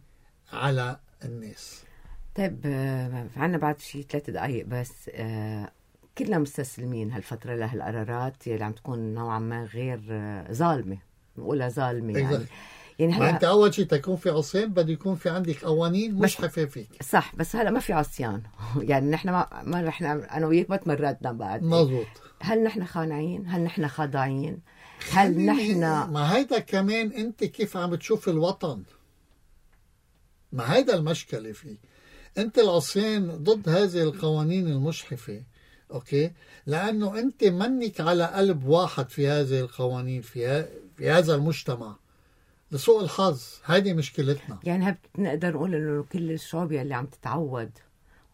على الناس. طيب عنا بعد شي 3 دقايق بس. كلنا مستسلمين هالفترة لهالقرارات اللي عم تكون نوعا ما غير ظالمة، نقولها ظالمة يعني ما انت اول شيء تكون في عصيان بده يكون في عندك قوانين مشحفة فيك. صح، بس هلا ما في عصيان. يعني نحن ما رح انا وياك ما تمردنا بعد. مزبوط. هل نحن خانعين؟ هل نحن خاضعين؟ هل نحن ما هيدا كمان انت كيف عم تشوف الوطن؟ ما هيدا المشكلة فيه. انت العصيان ضد هذه القوانين المشحفة، اوكي، لانه انت منك على قلب واحد في هذه القوانين في هذا المجتمع. لسوء الحظ هذه مشكلتنا. يعني نقدر نقول انه كل الشعوب اللي عم تتعود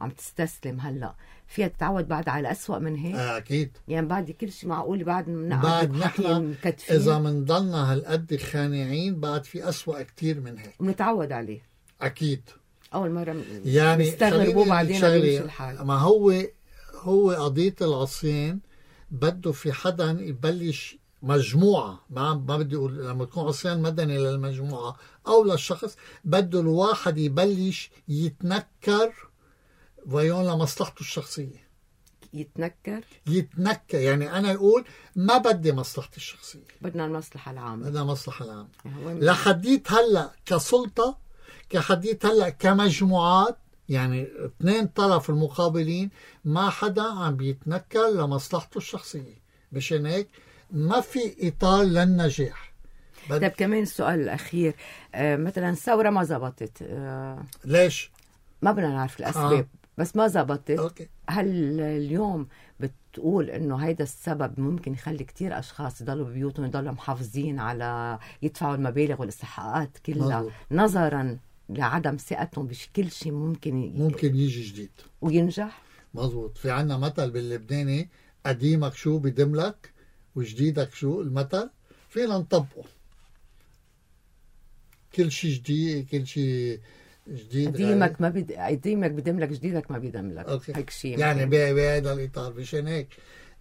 وعم تستسلم هلا فيها تتعود بعد على أسوأ من هيك. اكيد. يعني بعد كل شيء معقول بعد نحن اذا منضلنا هالقد خانعين بعد في أسوأ كتير من هيك ونتعود عليه. اكيد. اول مره يعني نستغربوا بعدين بيمشي الحال. ما هو قضية العصيان بده في حدا يبلش مجموعة. ما بدي أقول لما تكون عصيان مدني للمجموعة أو للشخص، بده الواحد يبلش يتنكر ويون لمصلحته الشخصية. يتنكر يعني أنا أقول ما بدي مصلحتي الشخصية، بدنا المصلحة العامة. بدنا المصلحة العامة. لحديت هلأ كسلطة، كحديت هلأ كمجموعات، يعني 2 طرف المقابلين ما حدا عم بيتنكر لمصلحته الشخصية. مشان هيك ما في إطار للنجاح. طيب كمان السؤال الأخير، مثلا الثورة ما زبطت، ليش؟ ما بدنا نعرف الأسباب. بس ما زبطت. أوكي. هل اليوم بتقول إنه هيدا السبب ممكن يخلي كتير أشخاص يضلوا ببيوتهم، يضلوا محافظين على يدفعوا المبالغ والاستحقاقات كلها، نظرا لعدم ثقتهم بكل شيء ممكن يجي جديد وينجح؟ مظبوط. في عنا مثل باللبناني، قديمك شو بدملك وجديدك شو المثل، فينا نطبقه. كل شيء جديد، كل شيء جديد. قديمك بدملك، جديدك ما بدملك. هيك شيء يعني بهذا الإطار. مشان هيك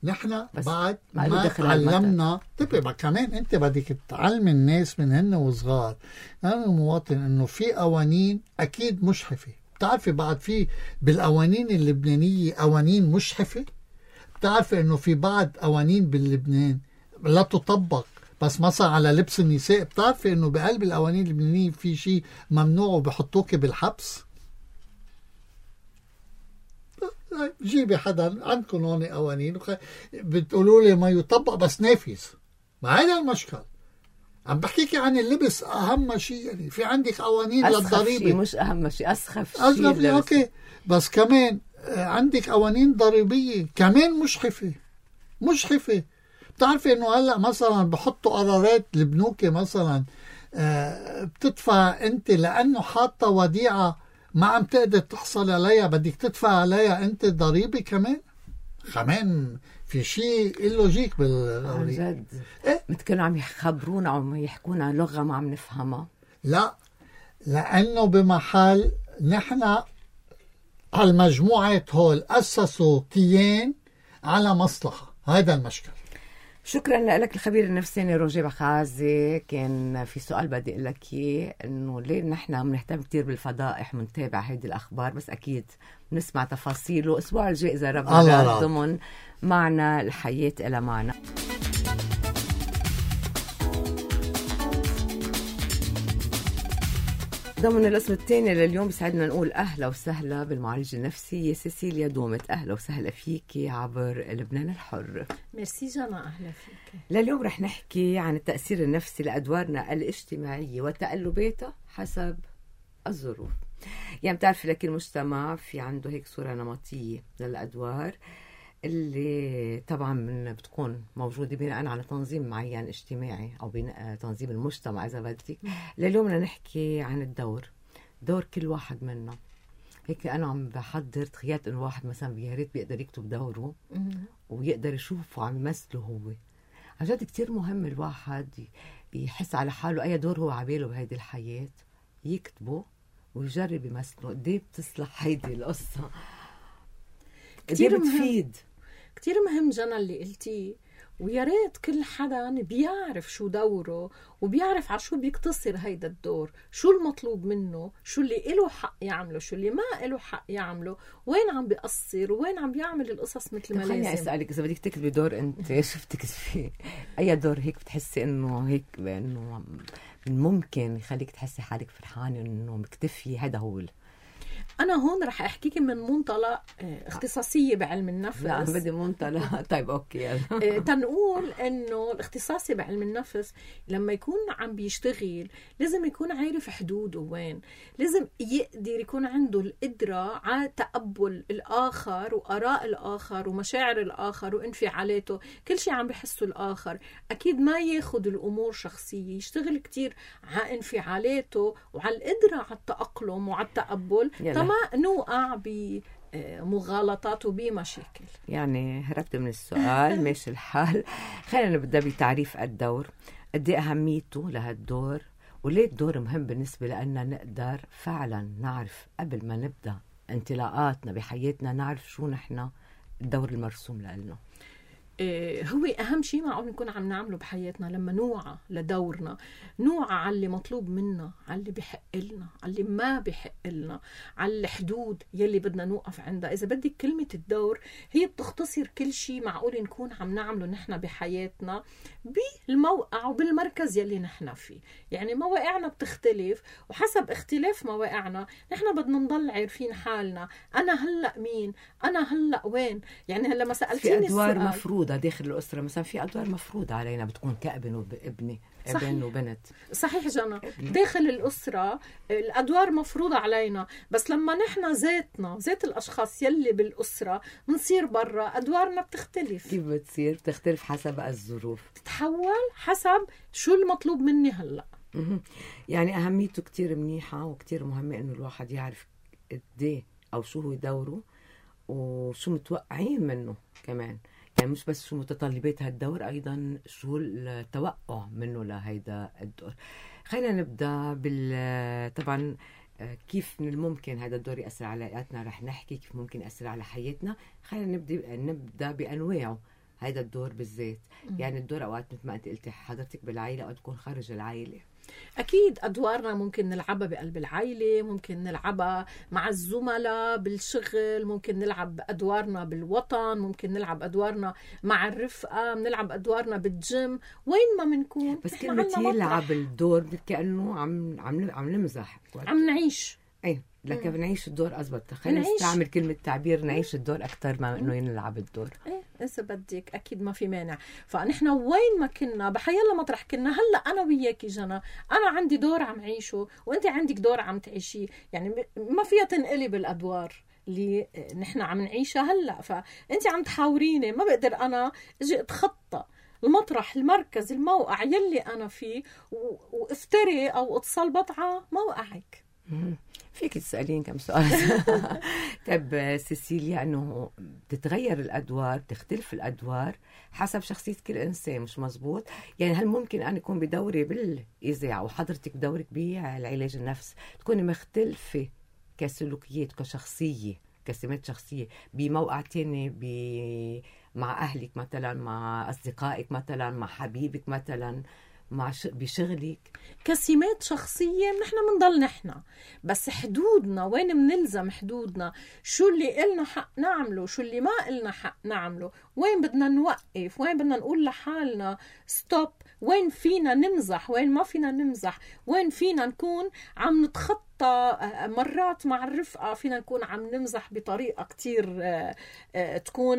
نحن بعد ما علمنا. طيب كمان انت بدك تعلم الناس من هن وصغار، انا المواطن، انه في قوانين اكيد مشحفة. بتعرفي بعد في بالقوانين اللبنانية قوانين مشحفة. بتعرفي انه في بعض قوانين باللبنان لا تطبق، بس مثلا على لبس النساء بتعرفي انه بقلب القوانين اللبنانية في شيء ممنوع وبحطوك بالحبس. جيبي حدا عندكم هون قوانين بتقولوا لي ما يطبق بس نافذ. ما هذا المشكل. عم بحكيك عن اللبس اهم شيء. يعني في عندك قوانين للضريبه، مش اهم شيء، اسخف شيء. اوكي، بس كمان عندك قوانين ضريبيه كمان مشحفه. بتعرفي انه هلا مثلا بحطوا قرارات البنوك مثلا بتدفع انت لانه حاطه وديعه ما عم تقدر تحصل عليها، بدك تدفع عليها انت ضريبه كمان في شيء اللوجيك عن جد. مثل كانوا عم يخبرونا عم يحكونا لغة ما عم نفهمها. لا، لأنه بمحل نحن هالمجموعات هول أسسوا كيان على مصلحة. هذا المشكل. شكرا لك الخبير النفساني روجيه بخازي. كان في سؤال بدي اقول لك اياه، انه ليه نحن بنهتم كثير بالفضائح ونتابع هيدي الاخبار، بس اكيد بنسمع تفاصيله الاسبوع الجاي اذا ربنا ضمن معنا الحياة إلى معنا. ضمن الاسم الثاني لليوم بسعدنا نقول أهلا وسهلا بالمعالجة النفسية سيسيليا دومت. أهلا وسهلا فيكي عبر لبنان الحر. ميرسي جانا، أهلا فيك. لليوم رح نحكي عن التأثير النفسي لأدوارنا الاجتماعية وتقلباتها حسب الظروف. يعني بتعرفي لكل مجتمع في عنده هيك صورة نمطية للأدوار اللي طبعا بتكون موجودة بناء على تنظيم معين اجتماعي أو بناء تنظيم المجتمع إذا بدك. لليوم بدنا نحكي عن دور كل واحد منا. هيك أنا عم بحضر تخيلت إنه واحد مثلا يا ريت بيقدر يكتب دوره ويقدر يشوفه عم يمثله هو. عن جد كتير مهم الواحد يحس على حاله أي دور هو عباله بهيدي الحياة، يكتبه ويجرب يمثله. قديه بتصلح هيدي القصة، كتير قديه بتفيد. كتير مهم جنى اللي قلتيه، ويا ريت كل حدا بيعرف شو دوره وبيعرف على شو بيقتصر هيدا الدور، شو المطلوب منه، شو اللي إله حق يعمله، شو اللي ما إله حق يعمله، وين عم بيقصر وين عم بيعمل القصص مثل ما لازم. خليني أسألك، إذا بدك تكتبي دور أنت شفتك فيه أي دور هيك بتحسي إنه هيك إنه ممكن يخليك تحسي حالك فرحانة إنه مكتفي، هذا هو أنا هون رح أحكيك من منطلق اختصاصية بعلم النفس. لا بدي منطلق. طيب أوكي يلا. تنقول إنه الاختصاصي بعلم النفس لما يكون عم بيشتغل لازم يكون عارف حدوده وين، لازم يقدر يكون عنده القدرة على تقبل الآخر وآراء الآخر ومشاعر الآخر وانفعالاته، كل شيء عم بيحسه الآخر. أكيد ما ياخد الأمور شخصية، يشتغل كتير على انفعالاته وعلى القدرة على التأقلم وعلى التقبل، ما نوقع بمغالطات وبمشاكل. يعني هربت من السؤال. ماشي الحال. خلينا نبدأ بتعريف الدور. قد ايه أهميته لهالدور، وليه الدور مهم بالنسبة لأننا نقدر فعلا نعرف قبل ما نبدأ انطلاقاتنا بحياتنا، نعرف شو نحن الدور المرسوم لنا. هو أهم شيء معقول نكون عم نعمله بحياتنا لما نوعى لدورنا، نوعى على اللي مطلوب منا، على اللي بحق لنا، على اللي ما بحق لنا، على الحدود يلي بدنا نوقف عندها. إذا بدك كلمة الدور هي بتختصر كل شيء معقول نكون عم نعمله نحن بحياتنا بالموقع وبالمركز يلي نحن فيه. يعني مواقعنا بتختلف، وحسب اختلاف مواقعنا نحن بدنا نضل عارفين حالنا. أنا هلأ مين؟ أنا هلأ وين؟ يعني هلأ ما سألتيني السؤال السؤال مفروضة داخل الأسرة مثلا، في أدوار مفروضة علينا بتكون كابن وابني، ابن وبنت. صحيح جنى، داخل الأسرة الأدوار مفروضة علينا، بس لما نحن ذات الأشخاص يلي بالأسرة منصير برا أدوارنا بتختلف. كيف بتصير؟ بتختلف حسب الظروف، تتحول حسب شو المطلوب مني هلأ. يعني أهميته كتير منيحة وكتير مهمة إنه الواحد يعرف قديه أو شو هو دوره وشو متوقعين منه كمان. يعني مش بس شو متطلبات هالدور، أيضا شو التوقع منه لهيدا الدور. خلينا نبدأ طبعا كيف من الممكن هذا الدور يأثر على حياتنا. رح نحكي كيف ممكن يأثر على حياتنا. خلينا نبدأ بأنواعه هذا الدور بالذات. يعني الدور أوقات مثل ما أنت قلتي حضرتك بالعائلة أو تكون خارج العائلة. أكيد أدوارنا ممكن نلعبها بقلب العائلة، ممكن نلعبها مع الزملاء بالشغل، ممكن نلعب أدوارنا بالوطن، ممكن نلعب أدوارنا مع الرفقة، نلعب أدوارنا بالجيم، وين ما منكون. بس كلمة يلعب الدور كأنه عم نمزح، عم نعيش. أي لكن بنعيش الدور أزبط. خلينا نستعمل كلمة تعبير نعيش الدور أكتر ما إنه ينلعب الدور. إذا بدك أكيد ما في مانع. فنحن وين ما كنا بحيالله مطرح كنا، هلأ أنا وياكي جنى، أنا عندي دور عم عيشه وأنت عندك دور عم تعيشيه. يعني ما فيها تنقلب الأدوار اللي نحن عم نعيشها هلأ. فأنت عم تحاوريني، ما بقدر أنا أجي أتخطى المطرح، المركز، الموقع يلي أنا فيه وافتري أو أتصلبط على موقعك. فيك تسألين كم سؤال. طب سيسيليا، أنه بتتغير الأدوار، بتختلف الأدوار حسب شخصية كل إنسان، مش مزبوط؟ يعني هل ممكن أن يكون بدوري بالإذاعة وحضرتك بدورك بالعلاج النفس تكوني مختلفة كسلوكيات، كشخصية، كسمات شخصية بموقع تاني، مع أهلك مثلا، مع أصدقائك مثلا، مع حبيبك مثلا، بشغلك؟ كسمات شخصية نحن منضل نحن، بس حدودنا وين منلزم حدودنا، شو اللي إلنا حق نعمله، شو اللي ما إلنا حق نعمله، وين بدنا نوقف، وين بدنا نقول لحالنا ستوب، وين فينا نمزح، وين ما فينا نمزح، وين فينا نكون عم نتخطى. مرات مع الرفقة فينا نكون عم نمزح بطريقة كتير تكون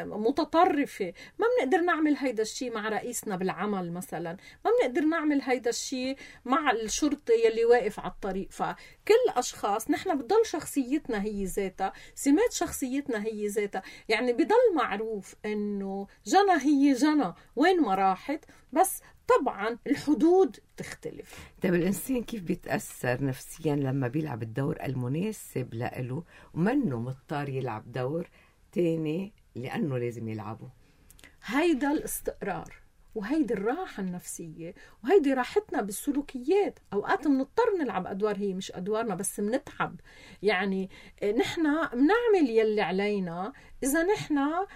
متطرفة. ما بنقدر نعمل هيدا الشيء مع رئيسنا بالعمل مثلا، ما بنقدر نعمل هيدا الشيء مع الشرطة يلي واقف على الطريق. فكل أشخاص نحن بضل شخصيتنا هي ذاتها، سمات شخصيتنا هي ذاتها. يعني بضل معروف إنه جنى هي جنى وين ما راحت، بس طبعا الحدود تختلف. طيب الإنسان كيف بيتأثر نفسيا لما بيلعب الدور المناسب له ومنه مضطر يلعب دور تاني لأنه لازم يلعبه؟ هيدا الاستقرار وهيدي الراحة النفسية وهيدي راحتنا بالسلوكيات. أوقات منضطر نلعب أدوار هي مش أدوارنا بس منتعب، يعني نحنا منعمل يلي علينا إذا نحنا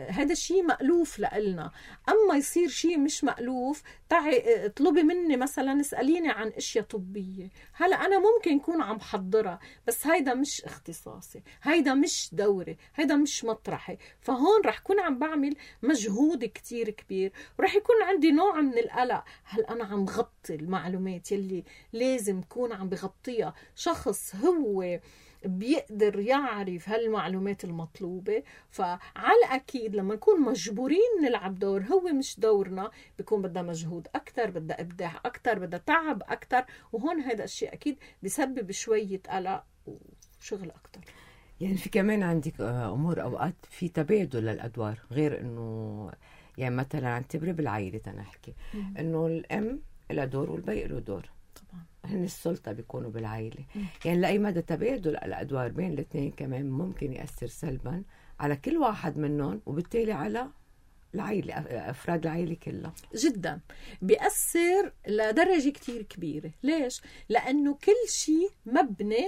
هذا الشيء مألوف لإلنا. أما يصير شيء مش مألوف، تعي اطلبي مني مثلا اسأليني عن اشياء طبية، هلا أنا ممكن يكون عم حضرها بس هيدا مش اختصاصي، هيدا مش دوري، هيدا مش مطرحي. فهون رح كون عم بعمل مجهود كتير كبير ورح يكون عندي نوع من القلق. هل أنا عم بغطي المعلومات يلي لازم كون عم بغطيها شخص هو بيقدر يعرف هالمعلومات المطلوبة؟ فعلى الأكيد لما نكون مجبورين نلعب دور هو مش دورنا بيكون بدها مجهود أكتر، بدها إبداع أكتر، بدها تعب أكتر، وهون هذا الشيء أكيد بيسبب شوية قلق وشغل أكتر. يعني في كمان عندك أمور أوقات في تبادل للأدوار، غير إنه يعني مثلا اعتبري بالعائلة تنحكي إنه الأم لها دور والبي له دور، طبعا هن السلطة بيكونوا بالعائلة. يعني لأي مدى تبادل الأدوار بين الاثنين كمان ممكن يأثر سلبا على كل واحد منهم وبالتالي على العائلة، أفراد العائلة كلها. جدا بيأثر لدرجة كتير كبيرة. ليش؟ لأنه كل شيء مبني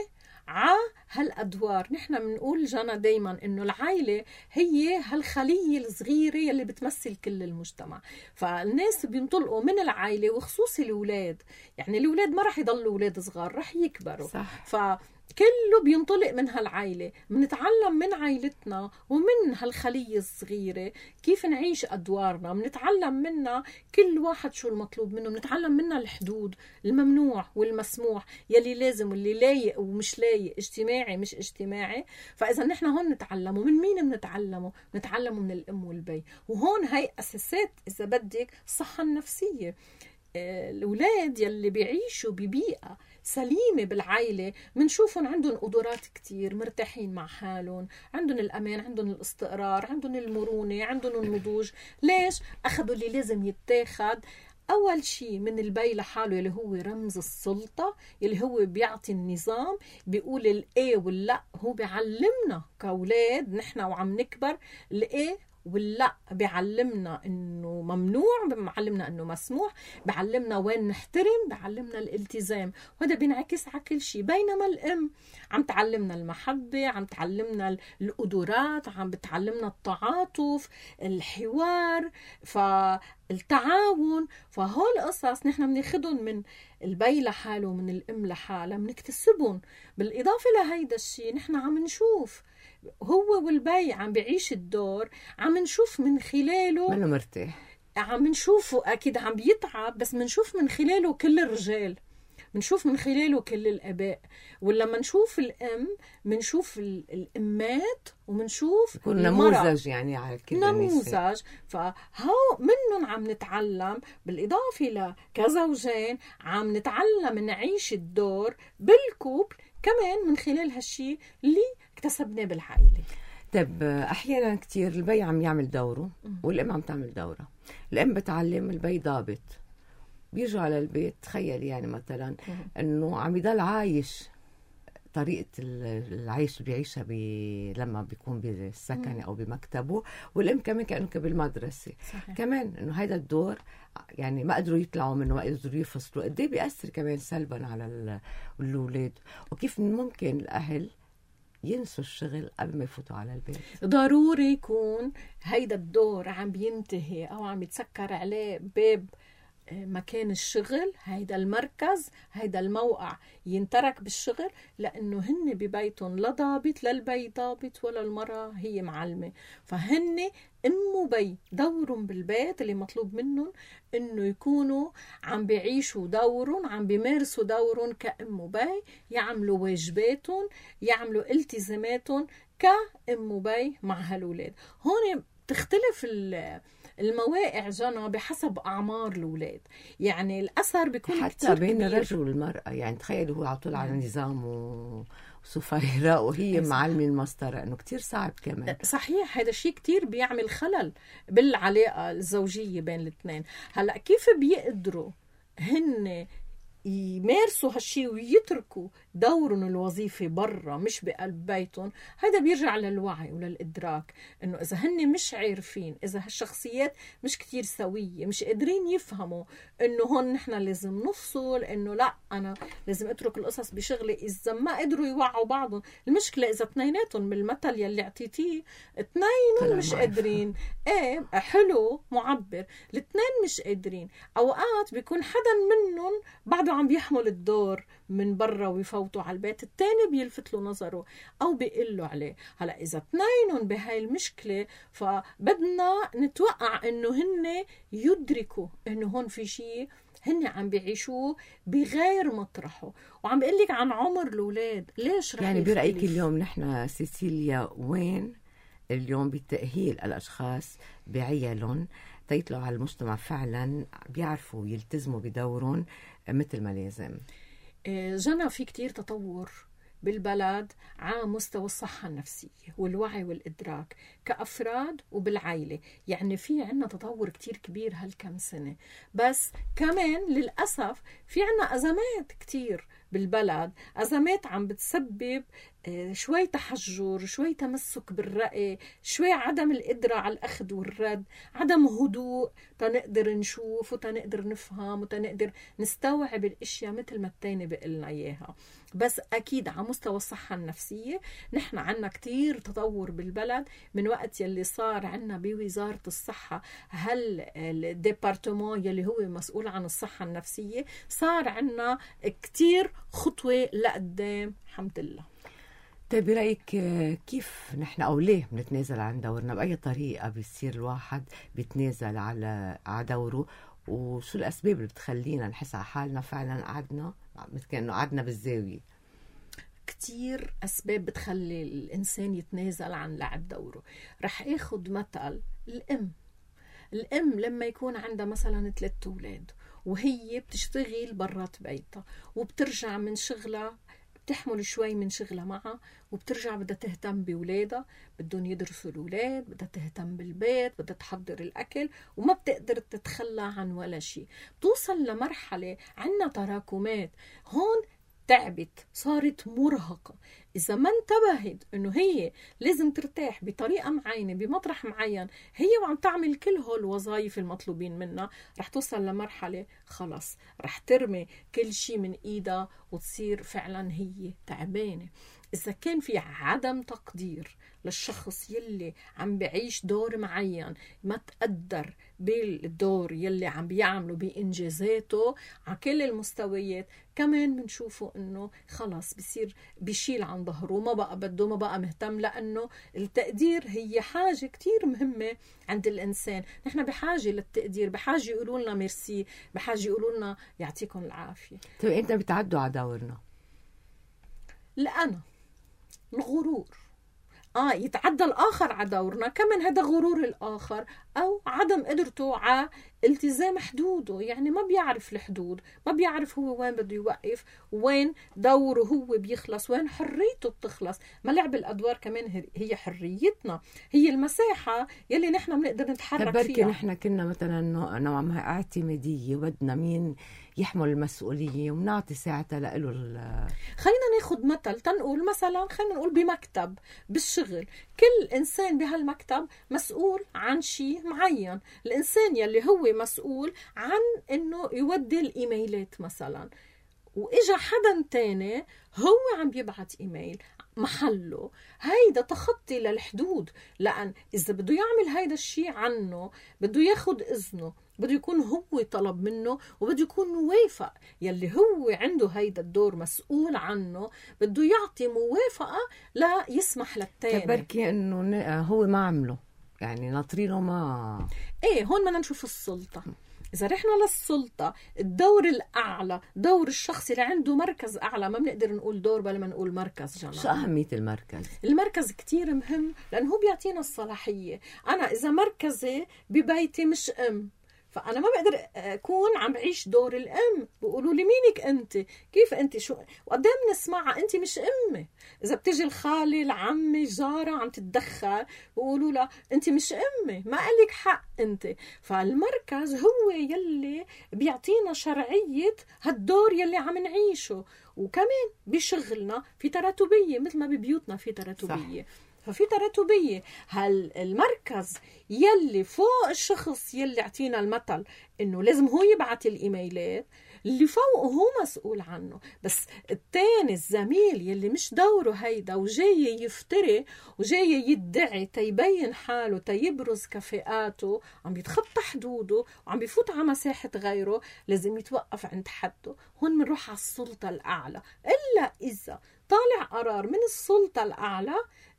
على هالأدوار. نحن بنقول جانا دايما إنه العائلة هي هالخلية الصغيرة يلي بتمثل كل المجتمع. فالناس بينطلقوا من العائلة وخصوصي الأولاد، يعني الأولاد ما رح يضلوا أولاد صغار، رح يكبروا. صح. كله بينطلق من هالعائلة. بنتعلم من عائلتنا ومن هالخلية الصغيرة كيف نعيش أدوارنا، بنتعلم منها كل واحد شو المطلوب منه، بنتعلم منها الحدود، الممنوع والمسموح، يلي لازم واللي لايق ومش لايق، اجتماعي مش اجتماعي. فإذا نحن هون نتعلموا من مين؟ بنتعلموا من الأم والبي. وهون هاي أساسات إذا بدك الصحة النفسية. الأولاد يلي بيعيشوا ببيئة سليمة بالعائلة منشوفهم عندهم قدرات كتير، مرتاحين مع حالهم، عندهم الأمان، عندهم الاستقرار، عندهم المرونة، عندهم النضوج. ليش؟ أخذوا اللي لازم يتاخد أول شيء من البي لحاله اللي هو رمز السلطة، اللي هو بيعطي النظام، بيقول الإيه واللا. هو بيعلمنا كأولاد نحن وعم نكبر الإيه واللا، بيعلمنا انه ممنوع، بيعلمنا انه مسموح، بيعلمنا وين نحترم، بيعلمنا الالتزام، وهذا بينعكس على كل شيء. بينما الام عم تعلمنا المحبة، عم تعلمنا القدرات، عم بتعلمنا التعاطف، الحوار، فالتعاون. فهول قصص نحن بناخدهم من البي لحاله ومن الام لحالها، بنكتسبهم. بالاضافة لهيدا الشيء نحن عم نشوف هو والبي عم بيعيش الدور، عم نشوف من خلاله منه مرتاح، عم نشوفه أكيد عم بيتعب، بس منشوف من خلاله كل الرجال، منشوف من خلاله كل الآباء. ولما نشوف الأم منشوف الأمات ومنشوف يكون نموذج يعني على كل نموذج. فهو منهم عم نتعلم، بالإضافة لكزوجين عم نتعلم نعيش الدور بالكوبل كمان من خلال هالشي اللي اكتسبناه بالعائلة. طيب أحيانا كتير البي عم يعمل دوره والأم عم تعمل دورها. الأم بتعلم، البي ضابط، بيجوا على البيت تخيل يعني مثلا أنه عم يضل عايش طريقة العيش اللي بيعيشها لما بيكون بالسكن أو بمكتبه، والأم كمان كأنه بالمدرسة. صحيح. كمان أنه هيدا الدور يعني ما قدروا يطلعوا منه، ما قدروا يفصلوا. قد ايه بيأثر كمان سلبا على الأولاد، وكيف ممكن الأهل ينسوا الشغل قبل ما يفوتوا على البيت. ضروري يكون هيدا الدور عم بينتهي أو عم يتسكر عليه باب مكان الشغل، هيدا المركز، هيدا الموقع ينترك بالشغل، لأنه هن ببيتهم لا ضابط، لا البي ضابط ولا المرأة هي معلمة. فهن أم وبي دورهم بالبيت اللي مطلوب منهم إنه يكونوا عم بيعيشوا دورهم، عم بيمارسوا دورهم كأم وبي، يعملوا واجباتهم، يعملوا التزاماتهم كأم وبي مع هالولاد. هون تختلف المواقع جانا بحسب أعمار الأولاد، يعني الأثر بيكون حتى بين الرجل والمرأة. يعني تخيلوا هو عطول على نظام وصفيرة وهي معلمة المسطرة، إنه كتير صعب كمان. صحيح، هذا الشيء كتير بيعمل خلل بالعلاقة الزوجية بين الاثنين. هلأ كيف بيقدروا هن يمارسوا هالشي ويتركوا دورهم الوظيفي برا مش بقلب بيتهم، هذا بيرجع للوعي وللإدراك إنه إذا هن مش عارفين، إذا هالشخصيات مش كتير سوية، مش قادرين يفهموا إنه هون نحن لازم نفصل، إنه لا أنا لازم أترك القصص بشغلي، إذا ما قدروا يوعوا بعضهم. المشكلة إذا اثنيناتهم بالمثل يلي اعطيتيه اثنين مش قادرين، إيه حلو معبر، الاثنين مش قادرين. أوقات بيكون حدا منهم بعده عم بيحمل الدور من برا ويفوتوا على البيت، التاني بيلفت له نظره أو بيقول له عليه. هلأ إذا اثنينهم بهاي المشكلة فبدنا نتوقع إنه هن يدركوا إنه هون في شيء هن عم بيعيشوه بغير مطرحه. وعم بقول لك عن عمر الأولاد، ليش رح يعني برأيك اليوم نحن سيسيليا وين اليوم بالتأهيل الأشخاص بعيالهم تيطلعوا على المجتمع فعلا بيعرفوا يلتزموا بدورهم مثل ما لازم؟ جنى في كتير تطور بالبلد على مستوى الصحة النفسية والوعي والإدراك كأفراد وبالعائلة. يعني في عنا تطور كتير كبير هالكم سنة، بس كمان للأسف في عنا أزمات كتير بالبلد، أزمات عم بتسبب شوي تحجر، شوي تمسك بالرأي، شوي عدم القدرة على الأخذ والرد، عدم هدوء تنقدر نشوف وتنقدر نفهم وتنقدر نستوعب الاشياء مثل ما التاني بقلنا اياها. بس اكيد على مستوى الصحة النفسية نحن عنا كتير تطور بالبلد من وقت يلي صار عنا بوزارة الصحة الديبارتمون يلي هو مسؤول عن الصحة النفسية، صار عنا كتير خطوة لقدام الحمد لله. طيب برأيك كيف نحن أو ليه بنتنازل عن دورنا؟ بأي طريقة بيصير الواحد بيتنازل على دوره؟ وشو الأسباب اللي بتخلينا نحس على حالنا فعلا قعدنا مثل كأنه قعدنا بالزاوية؟ كتير أسباب بتخلي الإنسان يتنازل عن لعب دوره. رح أخذ مثل الأم لما يكون عندها مثلا 3 أولاد وهي بتشتغل برات بيتها وبترجع من شغلها، بتحمل شوي من شغلها معها وبترجع بدها تهتم بولادها، بدهم يدرسوا الأولاد، بدها تهتم بالبيت، بدها تحضر الأكل، وما بتقدر تتخلى عن ولا شيء. بتوصل لمرحلة عنا تراكمات، هون تعبت، صارت مرهقة. إذا ما انتبهت إنه هي لازم ترتاح بطريقة معينة بمطرح معين هي وعم تعمل كل هول الوظائف المطلوبين منها، رح توصل لمرحلة خلاص رح ترمي كل شيء من إيدها وتصير فعلا هي تعبانة. إذا كان في عدم تقدير للشخص يلي عم بعيش دور معين، ما تقدر بالدور يلي عم بيعمله بإنجازاته على كل المستويات، كمان بنشوفه إنه خلاص بيصير بيشيل عن ظهره، ما بقى بده، ما بقى مهتم، لأنه التقدير هي حاجة كتير مهمة عند الإنسان. نحن بحاجة للتقدير، بحاجة يقولوا لنا ميرسي، بحاجة يقولوا لنا يعطيكم العافية. طيب أنت بتعدوا على دورنا؟ لأنا الغرور يتعدى الآخر على دورنا، كمان هذا غرور الآخر أو عدم قدرته على التزام حدوده. يعني ما بيعرف الحدود، ما بيعرف هو وين بده يوقف، وين دوره هو بيخلص، وين حريته بتخلص. ما لعب الأدوار كمان هي حريتنا، هي المساحة يلي نحن بنقدر نتحرك فيها. نحن كنا مثلا نوعا ما اعتمادية وبدنا مين يحمل المسؤولية ونعطي ساعتها له خلينا ناخد مثل تنقول مثلا، خلينا نقول بمكتب بالشغل، كل إنسان بهالمكتب مسؤول عن شيء معين. الإنسان يلي هو مسؤول عن إنه يودي الإيميلات مثلا، وإجا حدا تاني هو عم بيبعت إيميل محله، هيدا تخطي للحدود. لأن إذا بده يعمل هيدا الشيء عنه بده ياخد إذنه، بده يكون هو طلب منه، وبده يكون موافق. يلي هو عنده هيدا الدور مسؤول عنه بده يعطي موافقة لا يسمح للتاني. تبركي إنه هو ما عمله، يعني ناطرينه ما هون بدنا نشوف السلطة. إذا رحنا للسلطة، الدور الأعلى دور الشخص اللي عنده مركز أعلى، ما بنقدر نقول دور بل ما نقول مركز. جماعة شو أهمية المركز؟ المركز كتير مهم لأنه هو بيعطينا الصلاحية. أنا إذا مركزي ببيتي مش فأنا ما بقدر أكون عم بعيش دور الأم. بيقولوا لي مينك أنت؟ كيف أنت؟ شو وقدام نسمعها أنت مش أمي. إذا بتجي الخالة العمة الجارة عم تتدخل بيقولوا لها أنت مش أمي، ما قالك حق أنت. فالمركز هو يلي بيعطينا شرعية هالدور يلي عم نعيشه. وكمان بشغلنا في تراتبية مثل ما ببيوتنا في تراتبية. صح. ففي تراتبية. المركز يلي فوق الشخص يلي اعطينا المثل انه لازم هو يبعت الايميلات، اللي فوقه هو مسؤول عنه. بس التاني الزميل يلي مش دوره هيدا وجاي يفتري وجاي يدعي تيبين حاله تيبرز كفاءاته، عم يتخطى حدوده وعم بيفوت على مساحة غيره، لازم يتوقف عند حده. هون منروح على السلطة الأعلى. إلا إذا طالع قرار من السلطة الأعلى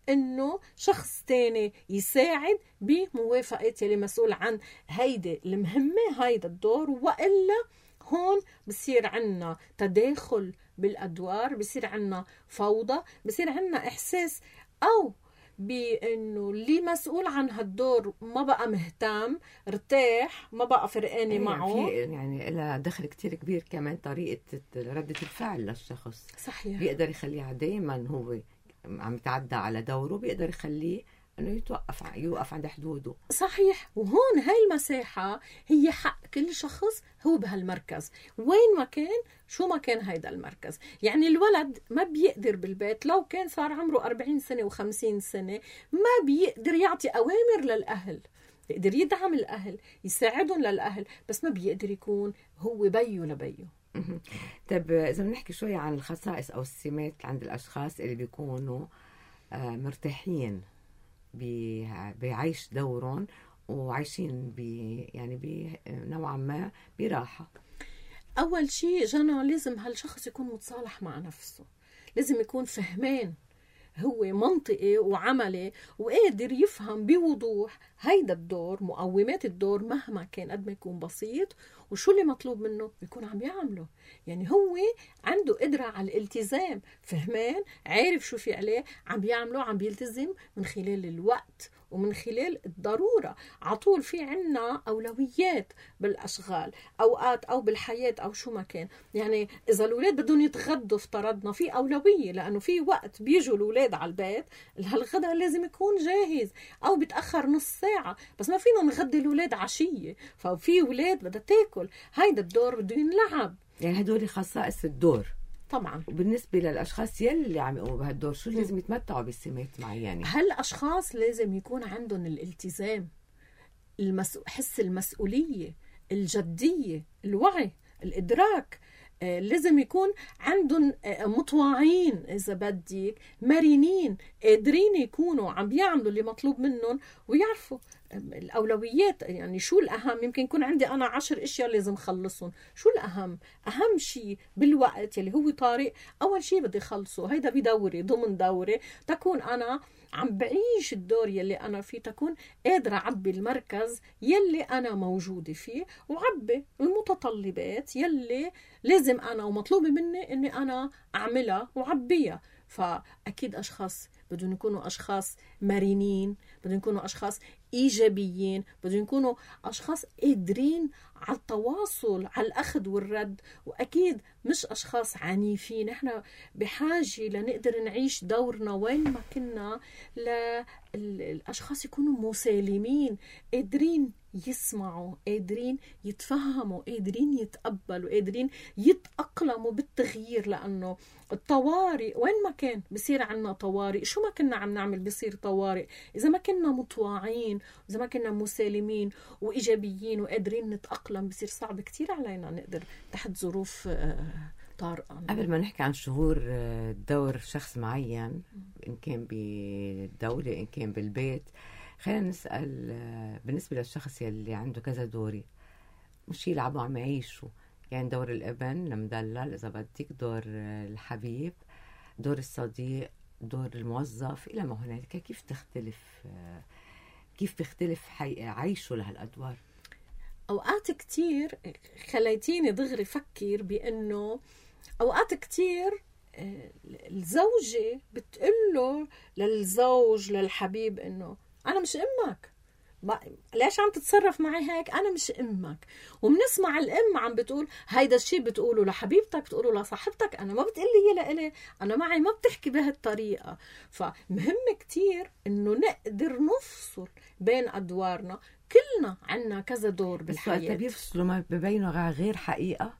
انه شخص تاني يساعد بموافقة يلي مسؤول عن هيدا المهمة هيدا الدور، وإلا هون بصير عنا تداخل بالأدوار، بصير عنا فوضى، بصير عنا إحساس أو بأنه اللي مسؤول عن هالدور ما بقى مهتم، ارتاح، ما بقى فرقاني معه. يعني لها دخل كتير كبير كمان طريقة ردة الفعل للشخص. صحيح. بيقدر يخليها دايما هو عم يتعدى على دوره، بيقدر يخليه انه يوقف عند حدوده. صحيح. وهون هاي المساحة هي حق كل شخص هو بهالمركز وين ما كان، شو ما كان هيدا المركز. يعني الولد ما بيقدر بالبيت لو كان صار عمره 40 سنة و50 سنة ما بيقدر يعطي أوامر للأهل، بيقدر يدعم الأهل، يساعدهم للأهل، بس ما بيقدر يكون هو بيو لبيو. طب إذا بنحكي شوي عن الخصائص أو السمات عند الأشخاص اللي بيكونوا مرتاحين بعيش دورهم وعايشين يعني نوعا ما براحة. أول شيء جنى لازم هالشخص يكون متصالح مع نفسه، لازم يكون فهمان هو منطقي وعملي وقادر يفهم بوضوح هيدا الدور، مقومات الدور مهما كان قد ما يكون بسيط، وشو اللي مطلوب منه يكون عم يعمله. يعني هو عنده قدرة على الالتزام، فهمان، عارف شو في عليه، عم بيعمله، عم بيلتزم من خلال الوقت ومن خلال الضرورة. عطول في عنا أولويات بالأشغال أوقات أو بالحياة أو شو ما كان. يعني إذا الأولاد بدهم يتغدوا افترضنا في أولوية، لأنه في وقت بيجوا الأولاد على البيت هالغدا لازم يكون جاهز أو بيتأخر نص ساعة، بس ما فينا نغدي الأولاد عشية، ففي أولاد بدها تاكل. هيدا الدور بده ينلعب. يعني هدول خصائص الدور طبعا. وبالنسبة للأشخاص يلي عم يقوموا بهالدور شو لازم يتمتعوا بسمات معينة؟ هالأشخاص لازم يكون عندهم الالتزام، حس المسؤولية، الجدية، الوعي، الإدراك. لازم يكون عندهم مطواعين، إذا بديك مرنين، قادرين يكونوا عم بيعملوا اللي مطلوب منهم ويعرفوا الأولويات. يعني شو الأهم؟ يمكن يكون عندي أنا 10 أشياء لازم خلصهم، شو الأهم؟ أهم شيء بالوقت يلي هو طارئ أول شيء بدي خلصه. هيدا بدوري ضمن دوري تكون أنا عم بعيش الدور يلي أنا فيه، تكون قادرة أعبي المركز يلي أنا موجودة فيه وعبي المتطلبات يلي لازم أنا ومطلوب مني أني أنا أعملها وعبيها. فأكيد أشخاص بدهم يكونوا أشخاص مرنين، بدهم يكونوا أشخاص إيجابيين، بدهم يكونوا أشخاص قادرين على التواصل، على الأخذ والرد، وأكيد مش أشخاص عنيفين. إحنا بحاجة لنقدر نعيش دورنا وين ما كنا للأشخاص يكونوا مسالمين، قادرين يسمعوا، قادرين يتفهموا، قادرين يتقبلوا، قادرين يتأقلموا بالتغيير. لأنه الطوارئ وين ما كان بصير عنا طوارئ، شو ما كنا عم نعمل بصير طوارئ. إذا ما كنا مطواعين، إذا ما كنا مسالمين وإيجابيين وقادرين نتأقلم، بصير صعب كتير علينا نقدر تحت ظروف طارئة. قبل ما نحكي عن شهور دور شخص معين، إن كان بالدولة إن كان بالبيت، خلينا نسأل بالنسبة للشخص يلي عنده كذا دوري مش يلعبوا عم يعيشوا. يعني دور الابن المدلل إذا بدك، دور الحبيب، دور الصديق، دور الموظف، إلى ما هنالك. كيف بيختلف عيشه لهالأدوار؟ أوقات كتير خليتيني دغري فكر بأنه أوقات كتير الزوجة بتقوله للزوج للحبيب إنه أنا مش أمك، ليش عم تتصرف معي هيك؟ أنا مش أمك. وبنسمع الأم عم بتقول هيدا الشيء بتقوله لحبيبتك، بتقوله لصاحبتك، أنا ما بتقلي هي لإلي، أنا معي ما بتحكي بهالطريقة. فمهم كتير إنه نقدر نفصل بين أدوارنا. كلنا عنا كذا دور بالحياة. بس بيفصلوا ما ببينوا غير حقيقة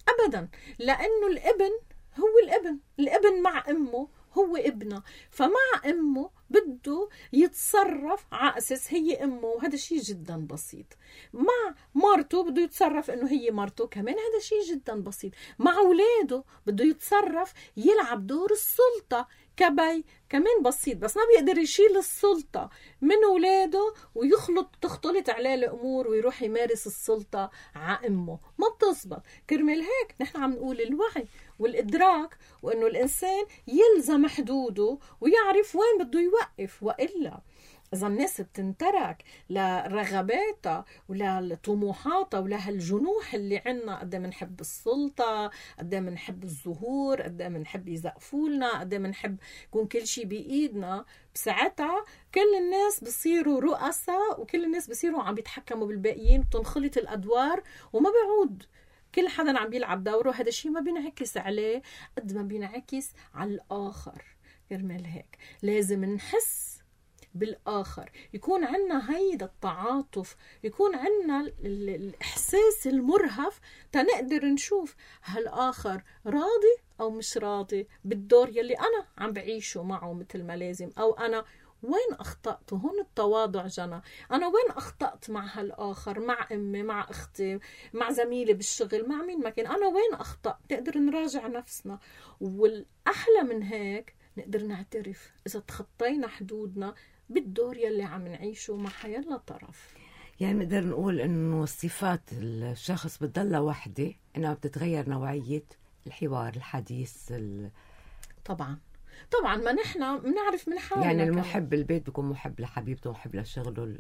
أبدا، لأنه الابن هو الابن مع أمه هو ابنه، فمع أمه بده يتصرف على أساس هي أمه، وهذا شيء جدا بسيط. مع مرته بده يتصرف إنه هي مرته كمان، هذا شيء جدا بسيط. مع أولاده بده يتصرف يلعب دور السلطة كبي، كمان بسيط. بس ما بيقدر يشيل السلطة من أولاده تختلط عليه الأمور ويروح يمارس السلطة على أمه، ما بتزبط. كرمال هيك نحن عم نقول الوعي والإدراك، وإنه الإنسان يلزم حدوده ويعرف وين بده يوقف. وإلا إذا الناس بتنترك لرغباتها ولطموحاتها ولهالجنوح اللي عنا، قد منحب السلطة، قد منحب الظهور، قد منحب يزقفولنا، قد منحب يكون كل شيء بإيدنا، بساعتها كل الناس بصيروا رؤساء وكل الناس بصيروا عم بيتحكموا بالباقيين، بتنخلط الأدوار وما بيعود كل حدا عم بيلعب دوره. هذا الشيء ما بينعكس عليه قد ما بينعكس على الآخر. كرمال هيك لازم نحس بالآخر، يكون عنا هيدا التعاطف، يكون عنا الإحساس المرهف تنقدر نشوف هالآخر راضي أو مش راضي بالدور يلي أنا عم بعيشه معه مثل ما لازم، أو أنا وين أخطأت. هون التواضع جنى، أنا وين أخطأت مع هالآخر، مع أمي، مع أختي، مع زميلي بالشغل، مع مين ما كان، أنا وين أخطأت. نقدر نراجع نفسنا. والأحلى من هيك نقدر نعترف إذا تخطينا حدودنا بالدور يلي عم نعيشه مع حيلا طرف. يعني نقدر نقول إنه صفات الشخص بتضل وحدة، إنها بتتغير نوعية الحوار، الحديث. طبعا ما نحن بنعرف من حالنا. يعني المحب بالبيت بيكون محب لحبيبته، محب لشغله.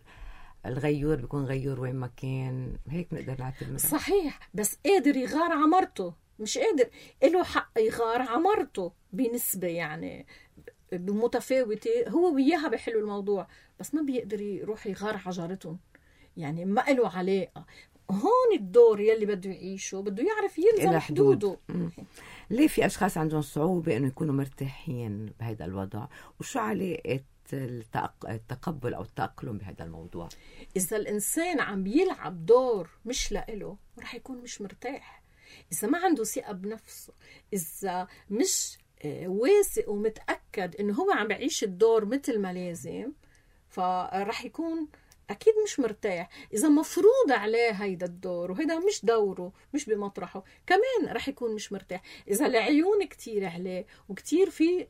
الغيور بيكون غيور وين ما كان. هيك نقدر نعتبر. صحيح، بس قادر يغار على مرته، مش قادر له حق يغار على مرته بنسبة يعني متفاوتة، هو وياها بيحلوا الموضوع، بس ما بيقدر يروح يغار على جارتهم، يعني ما له علاقة. هون الدور يلي بده يعيشه بده يعرف يلزم حدوده. ليه في أشخاص عندهم صعوبة إنه يكونوا مرتاحين بهذا الوضع؟ وشو علاقة التقبل أو التأقلم بهذا الموضوع؟ إذا الإنسان عم بيلعب دور مش لإله رح يكون مش مرتاح. إذا ما عنده ثقة بنفسه، إذا مش واثق ومتأكد إنه هو عم بعيش الدور مثل ما لازم، فرح يكون أكيد مش مرتاح. إذا مفروض عليه هيدا الدور وهيدا مش دوره، مش بمطرحه، كمان رح يكون مش مرتاح. إذا العيون كتير عليه وكتير في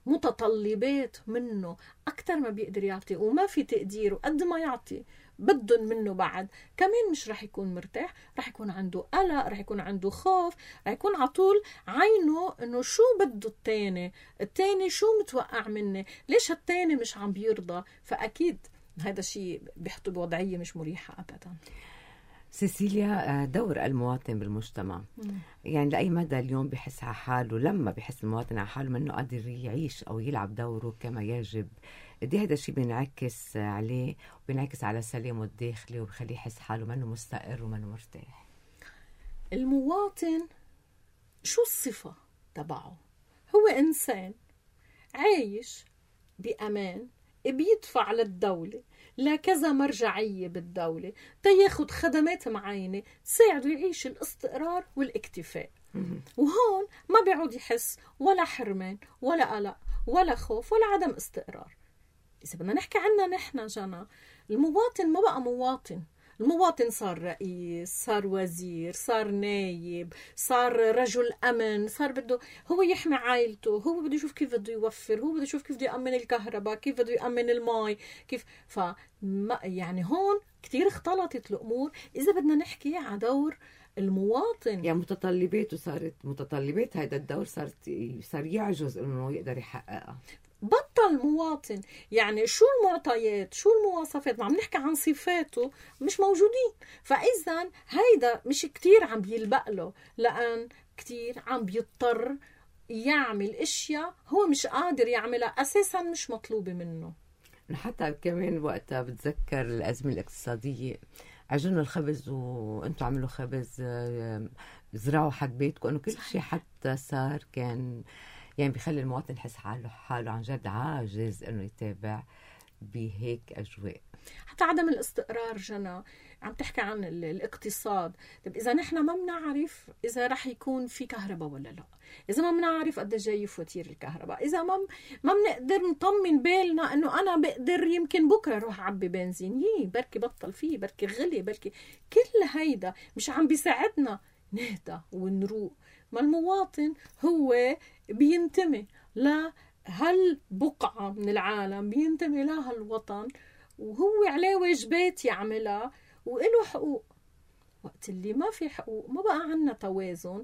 متطلبات منه أكتر ما بيقدر يعطي وما في تقدير، وقد ما يعطي بدن منه بعد، كمان مش رح يكون مرتاح. رح يكون عنده قلق، رح يكون عنده خوف، رح يكون عطول عينه إنه شو بده التاني شو متوقع مني، ليش التاني مش عم بيرضى. فأكيد هذا الشيء بيحطه بوضعية مش مريحة أبدا. سيسيليا، دور المواطن بالمجتمع، يعني لأي مدى اليوم بيحس على حاله، لما بيحس المواطن على حاله منه قادر يعيش أو يلعب دوره كما يجب، دي هذا الشيء بينعكس عليه وبينعكس على سلامه الداخلي وبيخليه يحس حاله منه مستقر ومنه مرتاح. المواطن شو الصفة تبعه؟ هو إنسان عايش بأمان، بيدفع للدولة لكذا مرجعية بالدولة تياخد خدمات معينة تساعده يعيش الاستقرار والاكتفاء. وهون ما بيعود يحس ولا حرمان ولا قلق ولا خوف ولا عدم استقرار. إذا بدنا نحكي عننا نحن جنى، المواطن ما بقى مواطن. المواطن صار رئيس، صار وزير، صار نايب، صار رجل أمن، صار بده هو يحمي عائلته، هو بده يشوف كيف بده يوفر، هو بده يشوف كيف بده يأمن الكهرباء، كيف بده يأمن الماء، كيف. يعني هون كتير اختلطت الأمور. إذا بدنا نحكي على دور المواطن، يعني متطلباته صارت متطلبات هذا الدور صار يعجز إنه يقدر يحققها. بطل مواطن. يعني شو المعطيات، شو المواصفات، ما عم نحكي عن صفاته، مش موجودين. فإذا هيدا مش كتير عم بيلبق له، لأن كتير عم بيضطر يعمل اشياء هو مش قادر يعملها، أساسا مش مطلوبة منه. حتى كمان وقتها بتذكر الأزمة الاقتصادية، عجنوا الخبز وانتوا عملوا خبز، زرعوا حد بيتكم، انه كل شيء حتى صار كان يعني بيخلي المواطن يحس حاله عن جد عاجز انه يتابع بهيك اجواء. حتى عدم الاستقرار. جنى عم تحكي عن الاقتصاد. طب اذا نحن ما بنعرف اذا رح يكون في كهرباء ولا لا، اذا ما بنعرف قد جاي فواتير الكهرباء، اذا ما بنقدر نطمن بالنا انه انا بقدر يمكن بكره اروح اعبي بنزين، بركي بطل فيه، بركي غلي، بركي كل هيدا مش عم بيساعدنا نهدى ونروق. ما المواطن هو بينتمي لهالبقعة من العالم، بينتمي لهالوطن، وهو عليه واجبات يعملها وإله حقوق. وقت اللي ما في حقوق ما بقى عنا توازن،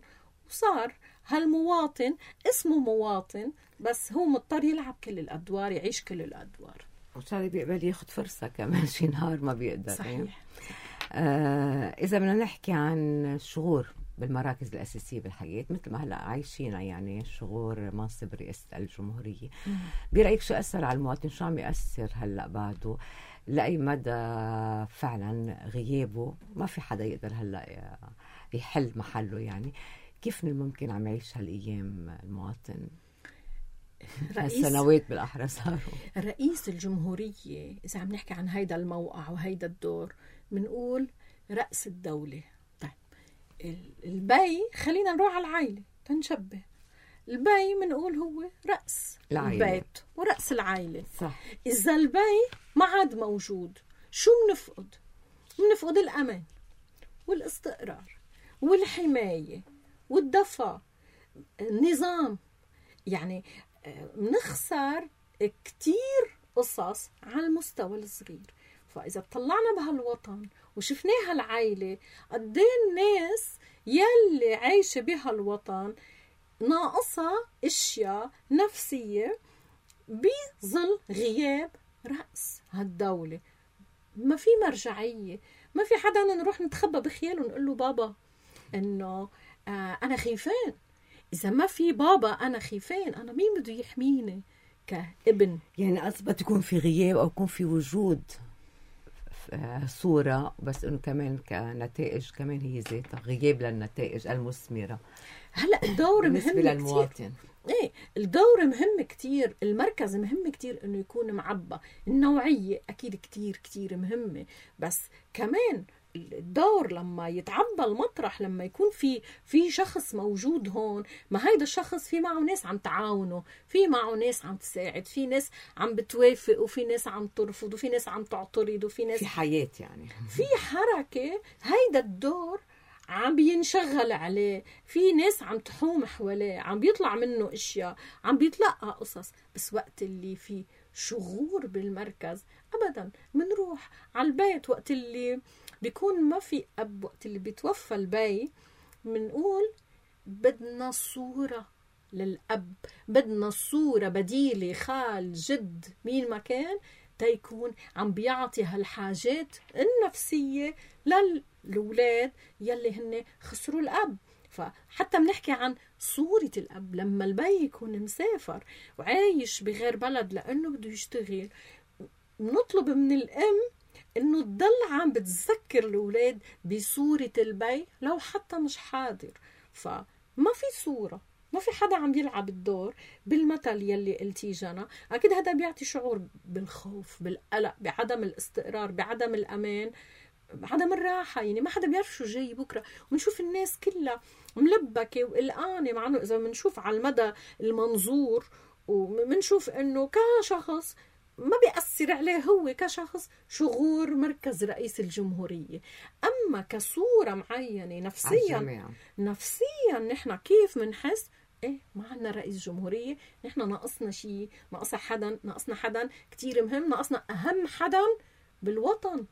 وصار هالمواطن اسمه مواطن بس هو مضطر يلعب كل الأدوار، يعيش كل الأدوار، وصار بيقبل ياخد فرصة كمان شي نهار ما بيقدر. صحيح. إذا بدنا نحكي عن الشغور بالمراكز الأساسية بالحياة مثل ما هلأ عايشينها، يعني شغور منصب رئاسة الجمهورية، برأيك شو أثر على المواطن؟ شو عم يأثر هلأ بعده؟ لأي مدى فعلا غيابه ما في حدا يقدر هلأ يحل محله؟ يعني كيف ممكن عم يعيش هالأيام المواطن؟ هالسنوات بالأحرى صاروا. رئيس الجمهورية إذا عم نحكي عن هيدا الموقع وهيدا الدور منقول رأس الدولة. طيب البي خلينا نروح على العائلة تنشبه، البي منقول هو رأس العائلة. البيت ورأس العائلة. صح. إذا البي ما عاد موجود شو بنفقد؟ بنفقد الأمان والاستقرار والحماية والدفء، النظام. يعني بنخسر كتير قصص على المستوى الصغير. فإذا طلعنا بهالوطن وشفناها العائلة قد ايه الناس يلي عايشة بهالوطن ناقصها اشياء نفسية بظل غياب رأس هالدولة. ما في مرجعية، ما في حدا نروح نتخبى بخياله ونقول له بابا انه انا خيفان. اذا ما في بابا انا خيفان، انا مين بده يحميني كابن؟ يعني أثبت يكون في غياب أو يكون في وجود صورة، بس إنه كمان كنتائج كمان هي ذاتها غياب للنتائج المثمرة. هلا الدور بالنسبة مهم للمواطن كتير. ايه الدور مهم كتير، المركز مهم كتير انه يكون معبى، النوعية اكيد كتير كتير مهمة، بس كمان الدور لما يتعبى المطرح، لما يكون في شخص موجود هون، ما هيدا الشخص في معه ناس عم تعاونه، في معه ناس عم تساعد، في ناس عم بتوافق، وفي ناس عم ترفض، وفي ناس عم تعترض، وفي ناس في حياة، يعني في حركة. هيدا الدور عم بينشغل عليه، في ناس عم تحوم حواليه، عم بيطلع منه اشياء، عم بيتلقى قصص. بس وقت اللي في شغور بالمركز ابدا منروح على البيت. وقت اللي بيكون ما في اب، وقت اللي بيتوفى البي، منقول بدنا صورة للأب، بدنا صورة بديلة، خال، جد، مين ما كان، تيكون عم بيعطي هالحاجات النفسية للأولاد يلي هن خسروا الأب. فحتى بنحكي عن صورة الأب لما البي يكون مسافر وعايش بغير بلد لأنه بده يشتغل، نطلب من الأم إنه تضل عم بتذكر الأولاد بصورة البي لو حتى مش حاضر. فما في صورة، ما في حدا عم يلعب الدور بالمثل يلي قلتي جنى. أكيد هذا بيعطي شعور بالخوف، بالقلق، بعدم الاستقرار، بعدم الأمان، بعدم الراحة. يعني ما حدا بيعرف شو جاي بكرة، ونشوف الناس كلها ملبكة وقلقانة، مع أنه إذا منشوف على المدى المنظور ومنشوف أنه كشخص ما بيأثر عليه هو كشخص شغور مركز رئيس الجمهورية. أما كصورة معينة نفسيا نحن كيف منحس؟ إيه ما عنا رئيس جمهورية، نحن ناقصنا شيء، ناقصنا حدا كتير مهم، ناقصنا أهم حدا بالوطن،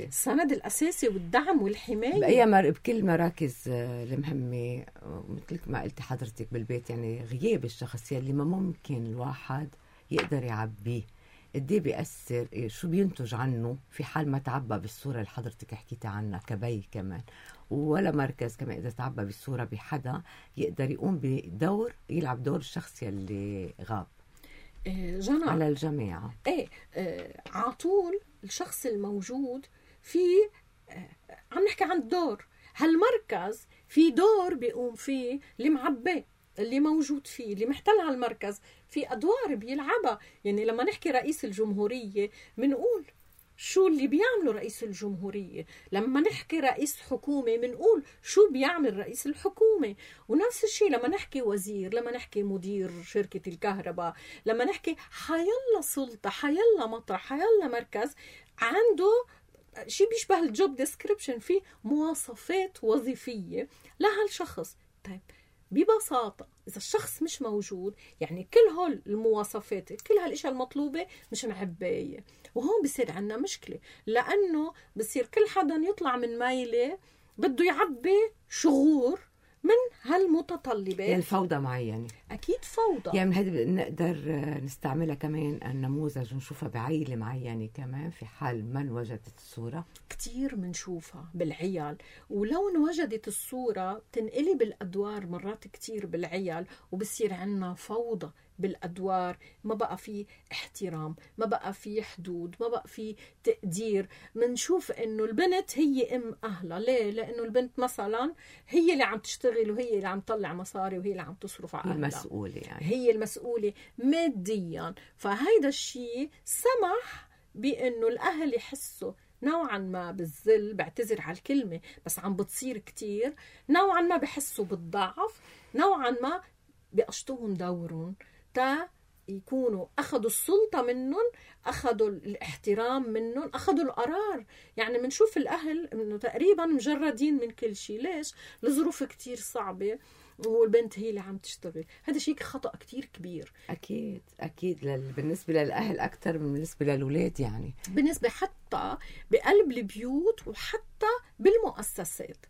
السند الأساسي والدعم والحماية بكل مراكز المهمة. مثل ما قلت حضرتك بالبيت، يعني غياب الشخص يلي ما ممكن الواحد يقدر يعبيه، قديه بيأثر، شو بينتج عنه في حال ما تعبى بالصورة اللي حضرتك حكيتي عنها كبي كمان. ولا مركز كمان إذا تعبى بالصورة بحدا يقدر يقوم بدور، يلعب دور الشخص يلي غاب. جنى على الجميع. عطول الشخص الموجود في عم نحكي عن الدور. هالمركز في دور بيقوم فيه اللي معبي، اللي موجود فيه، اللي محتل هالمركز، في أدوار بيلعبها. يعني لما نحكي رئيس الجمهورية منقول شو اللي بيعمله رئيس الجمهورية، لما نحكي رئيس حكومة منقول شو بيعمل رئيس الحكومة. ونفس الشيء لما نحكي وزير، لما نحكي مدير شركة الكهرباء، لما نحكي حيلا سلطة، حيلا مطرح، حيلا مركز عنده شيء بيشبه الجوب ديسكريبشن، فيه مواصفات وظيفية لهالشخص. طيب ببساطة إذا الشخص مش موجود، يعني كل هول المواصفات، كل هالاشياء المطلوبة مش معباية، وهون بصير عنا مشكلة، لأنه بصير كل حدا يطلع من مايلة بده يعبي شغور من هالمتطلبات. يعني الفوضى معينة، أكيد فوضى. يعني هذه نقدر نستعملها كمان النموذج ونشوفها بعيلة معينة كمان في حال ما انوجدت الصورة. كتير منشوفها بالعيال، ولو انوجدت الصورة تنقلب الأدوار مرات كتير بالعيال، وبصير عنا فوضى بالأدوار. ما بقى في احترام، ما بقى في حدود، ما بقى في تقدير. منشوف إنه البنت هي أم أهلها. ليه؟ لأنه البنت مثلا هي اللي عم تشتغل، وهي اللي عم تطلع مصاري، وهي اللي عم تصرف على أهلها، المسؤولة يعني. هي المسؤولة ماديا. فهيدا الشيء سمح بأنه الأهل يحسوا نوعا ما بالذل، بعتذر على الكلمة بس عم بتصير كتير، نوعا ما بحسوا بالضعف، نوعا ما بيقشطوهم دورهم تا يكونوا أخذوا السلطة منهم، أخذوا الاحترام منهم، أخذوا القرار. يعني منشوف الأهل إنه تقريبا مجردين من كل شيء. ليش؟ لظروف كتير صعبة، والبنت هي اللي عم تشتغل. هذا شيء خطأ كتير كبير. أكيد بالنسبة للأهل أكتر من بالنسبة للأولاد، يعني بالنسبة حتى بقلب البيوت وحتى بالمؤسسات.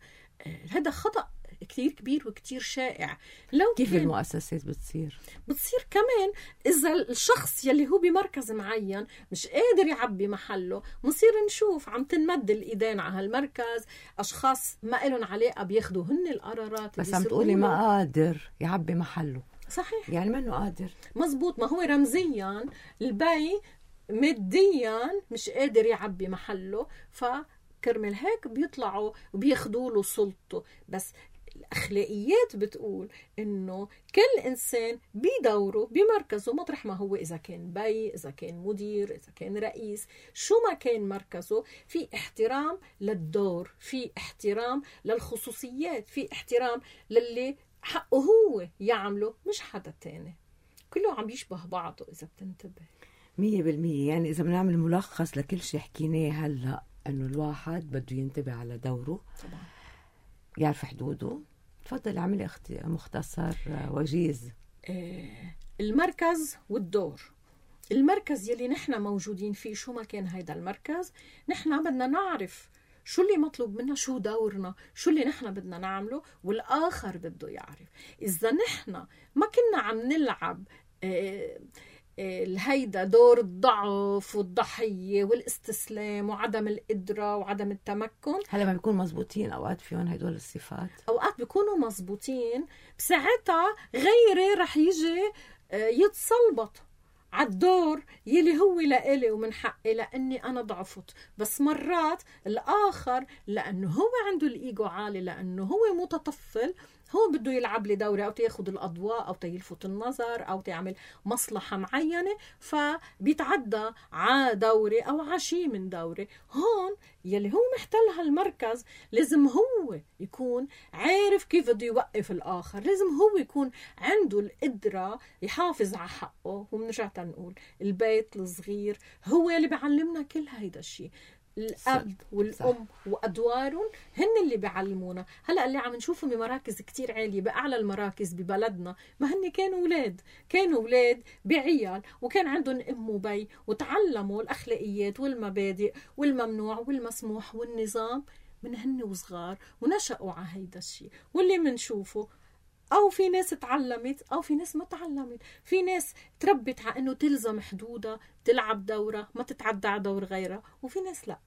هذا خطأ كتير كبير وكتير شائع. لو كيف المؤسسات بتصير كمان إذا الشخص يلي هو بمركز معين مش قادر يعبي محله، مصير نشوف عم تنمد الإيدين على هالمركز، أشخاص ما إلهم علاقة بياخدوا هن القرارات. بس عم تقولي ما قادر يعبي محله. صحيح، يعني ما إنه قادر. مزبوط. ما هو رمزيا البي ماديا مش قادر يعبي محله، فكرمل هيك بيطلعوا وبياخدوا له سلطته. بس الأخلاقيات بتقول إنه كل إنسان بدوره بمركزه، مطرح ما هو، إذا كان بي، إذا كان مدير، إذا كان رئيس، شو ما كان مركزه، في احترام للدور، في احترام للخصوصيات، في احترام للي حقه هو يعمله مش حدا تاني. كله عم يشبه بعضه إذا بتنتبه 100%. يعني إذا بنعمل ملخص لكل شيء حكيناه هلأ، إنه الواحد بده ينتبه على دوره طبعا، يعرف حدوده. تفضل اعملي مختصر وجيز. المركز والدور. المركز يلي نحن موجودين فيه، شو ما كان هيدا المركز، نحن بدنا نعرف شو اللي مطلوب منا، شو دورنا، شو اللي نحن بدنا نعمله، والآخر بده يعرف. إذا نحن ما كنا عم نلعب الهيدا دور الضعف والضحية والاستسلام وعدم القدرة وعدم التمكن، هلا ما بيكون مزبوطين أوقات فيهم هيدول الصفات، أوقات بيكونوا مزبوطين، بساعتها غيري رح يجي يتصلبط على الدور يلي هو لإلي ومن حقي لأني أنا ضعفت. بس مرات الآخر لأنه هو عنده الإيجو عالي، لأنه هو متطفل، هو بده يلعب لي دوري أو تياخد الأضواء أو تيلفت النظر أو تعمل مصلحة معينة، فبيتعدى على دوري أو عشي من دوري. هون يلي هو محتل هالمركز لازم هو يكون عارف كيف بده يوقف الآخر، لازم هو يكون عنده القدرة يحافظ على حقه. وبنرجع نقول البيت الصغير هو اللي بيعلمنا كل هيدا الشيء. الأب والأم وأدوارهم هن اللي بيعلمونا. هلأ اللي عم نشوفهم بمراكز كتير عالية، بأعلى المراكز ببلدنا، ما هن كانوا أولاد بعيال وكان عندهم أم وبي، وتعلموا الأخلاقيات والمبادئ والممنوع والمسموح والنظام من هن وصغار، ونشأوا على هيدا الشيء. واللي منشوفه أو في ناس تعلمت أو في ناس ما تعلمت، في ناس تربت على أنه تلزم حدودها، تلعب دورة، ما تتعدى على دور غيرها، وفي ناس لا.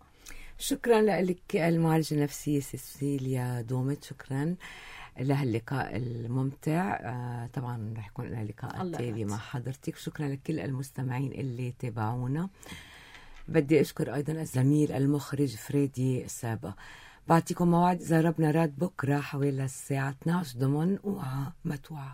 شكرا لك المعالجة النفسية سيسيليا دومت، شكرا. لهاللقاء الممتع. طبعا رح يكون لنا لقاء تالي مع حضرتك. شكرا لكل المستمعين اللي تابعونا. بدي أشكر أيضا الزميل المخرج فريدي سابا. بعطيكم موعد إذا ربنا راد بكرة حوالي الساعة 12 ضمن وعا متوعة.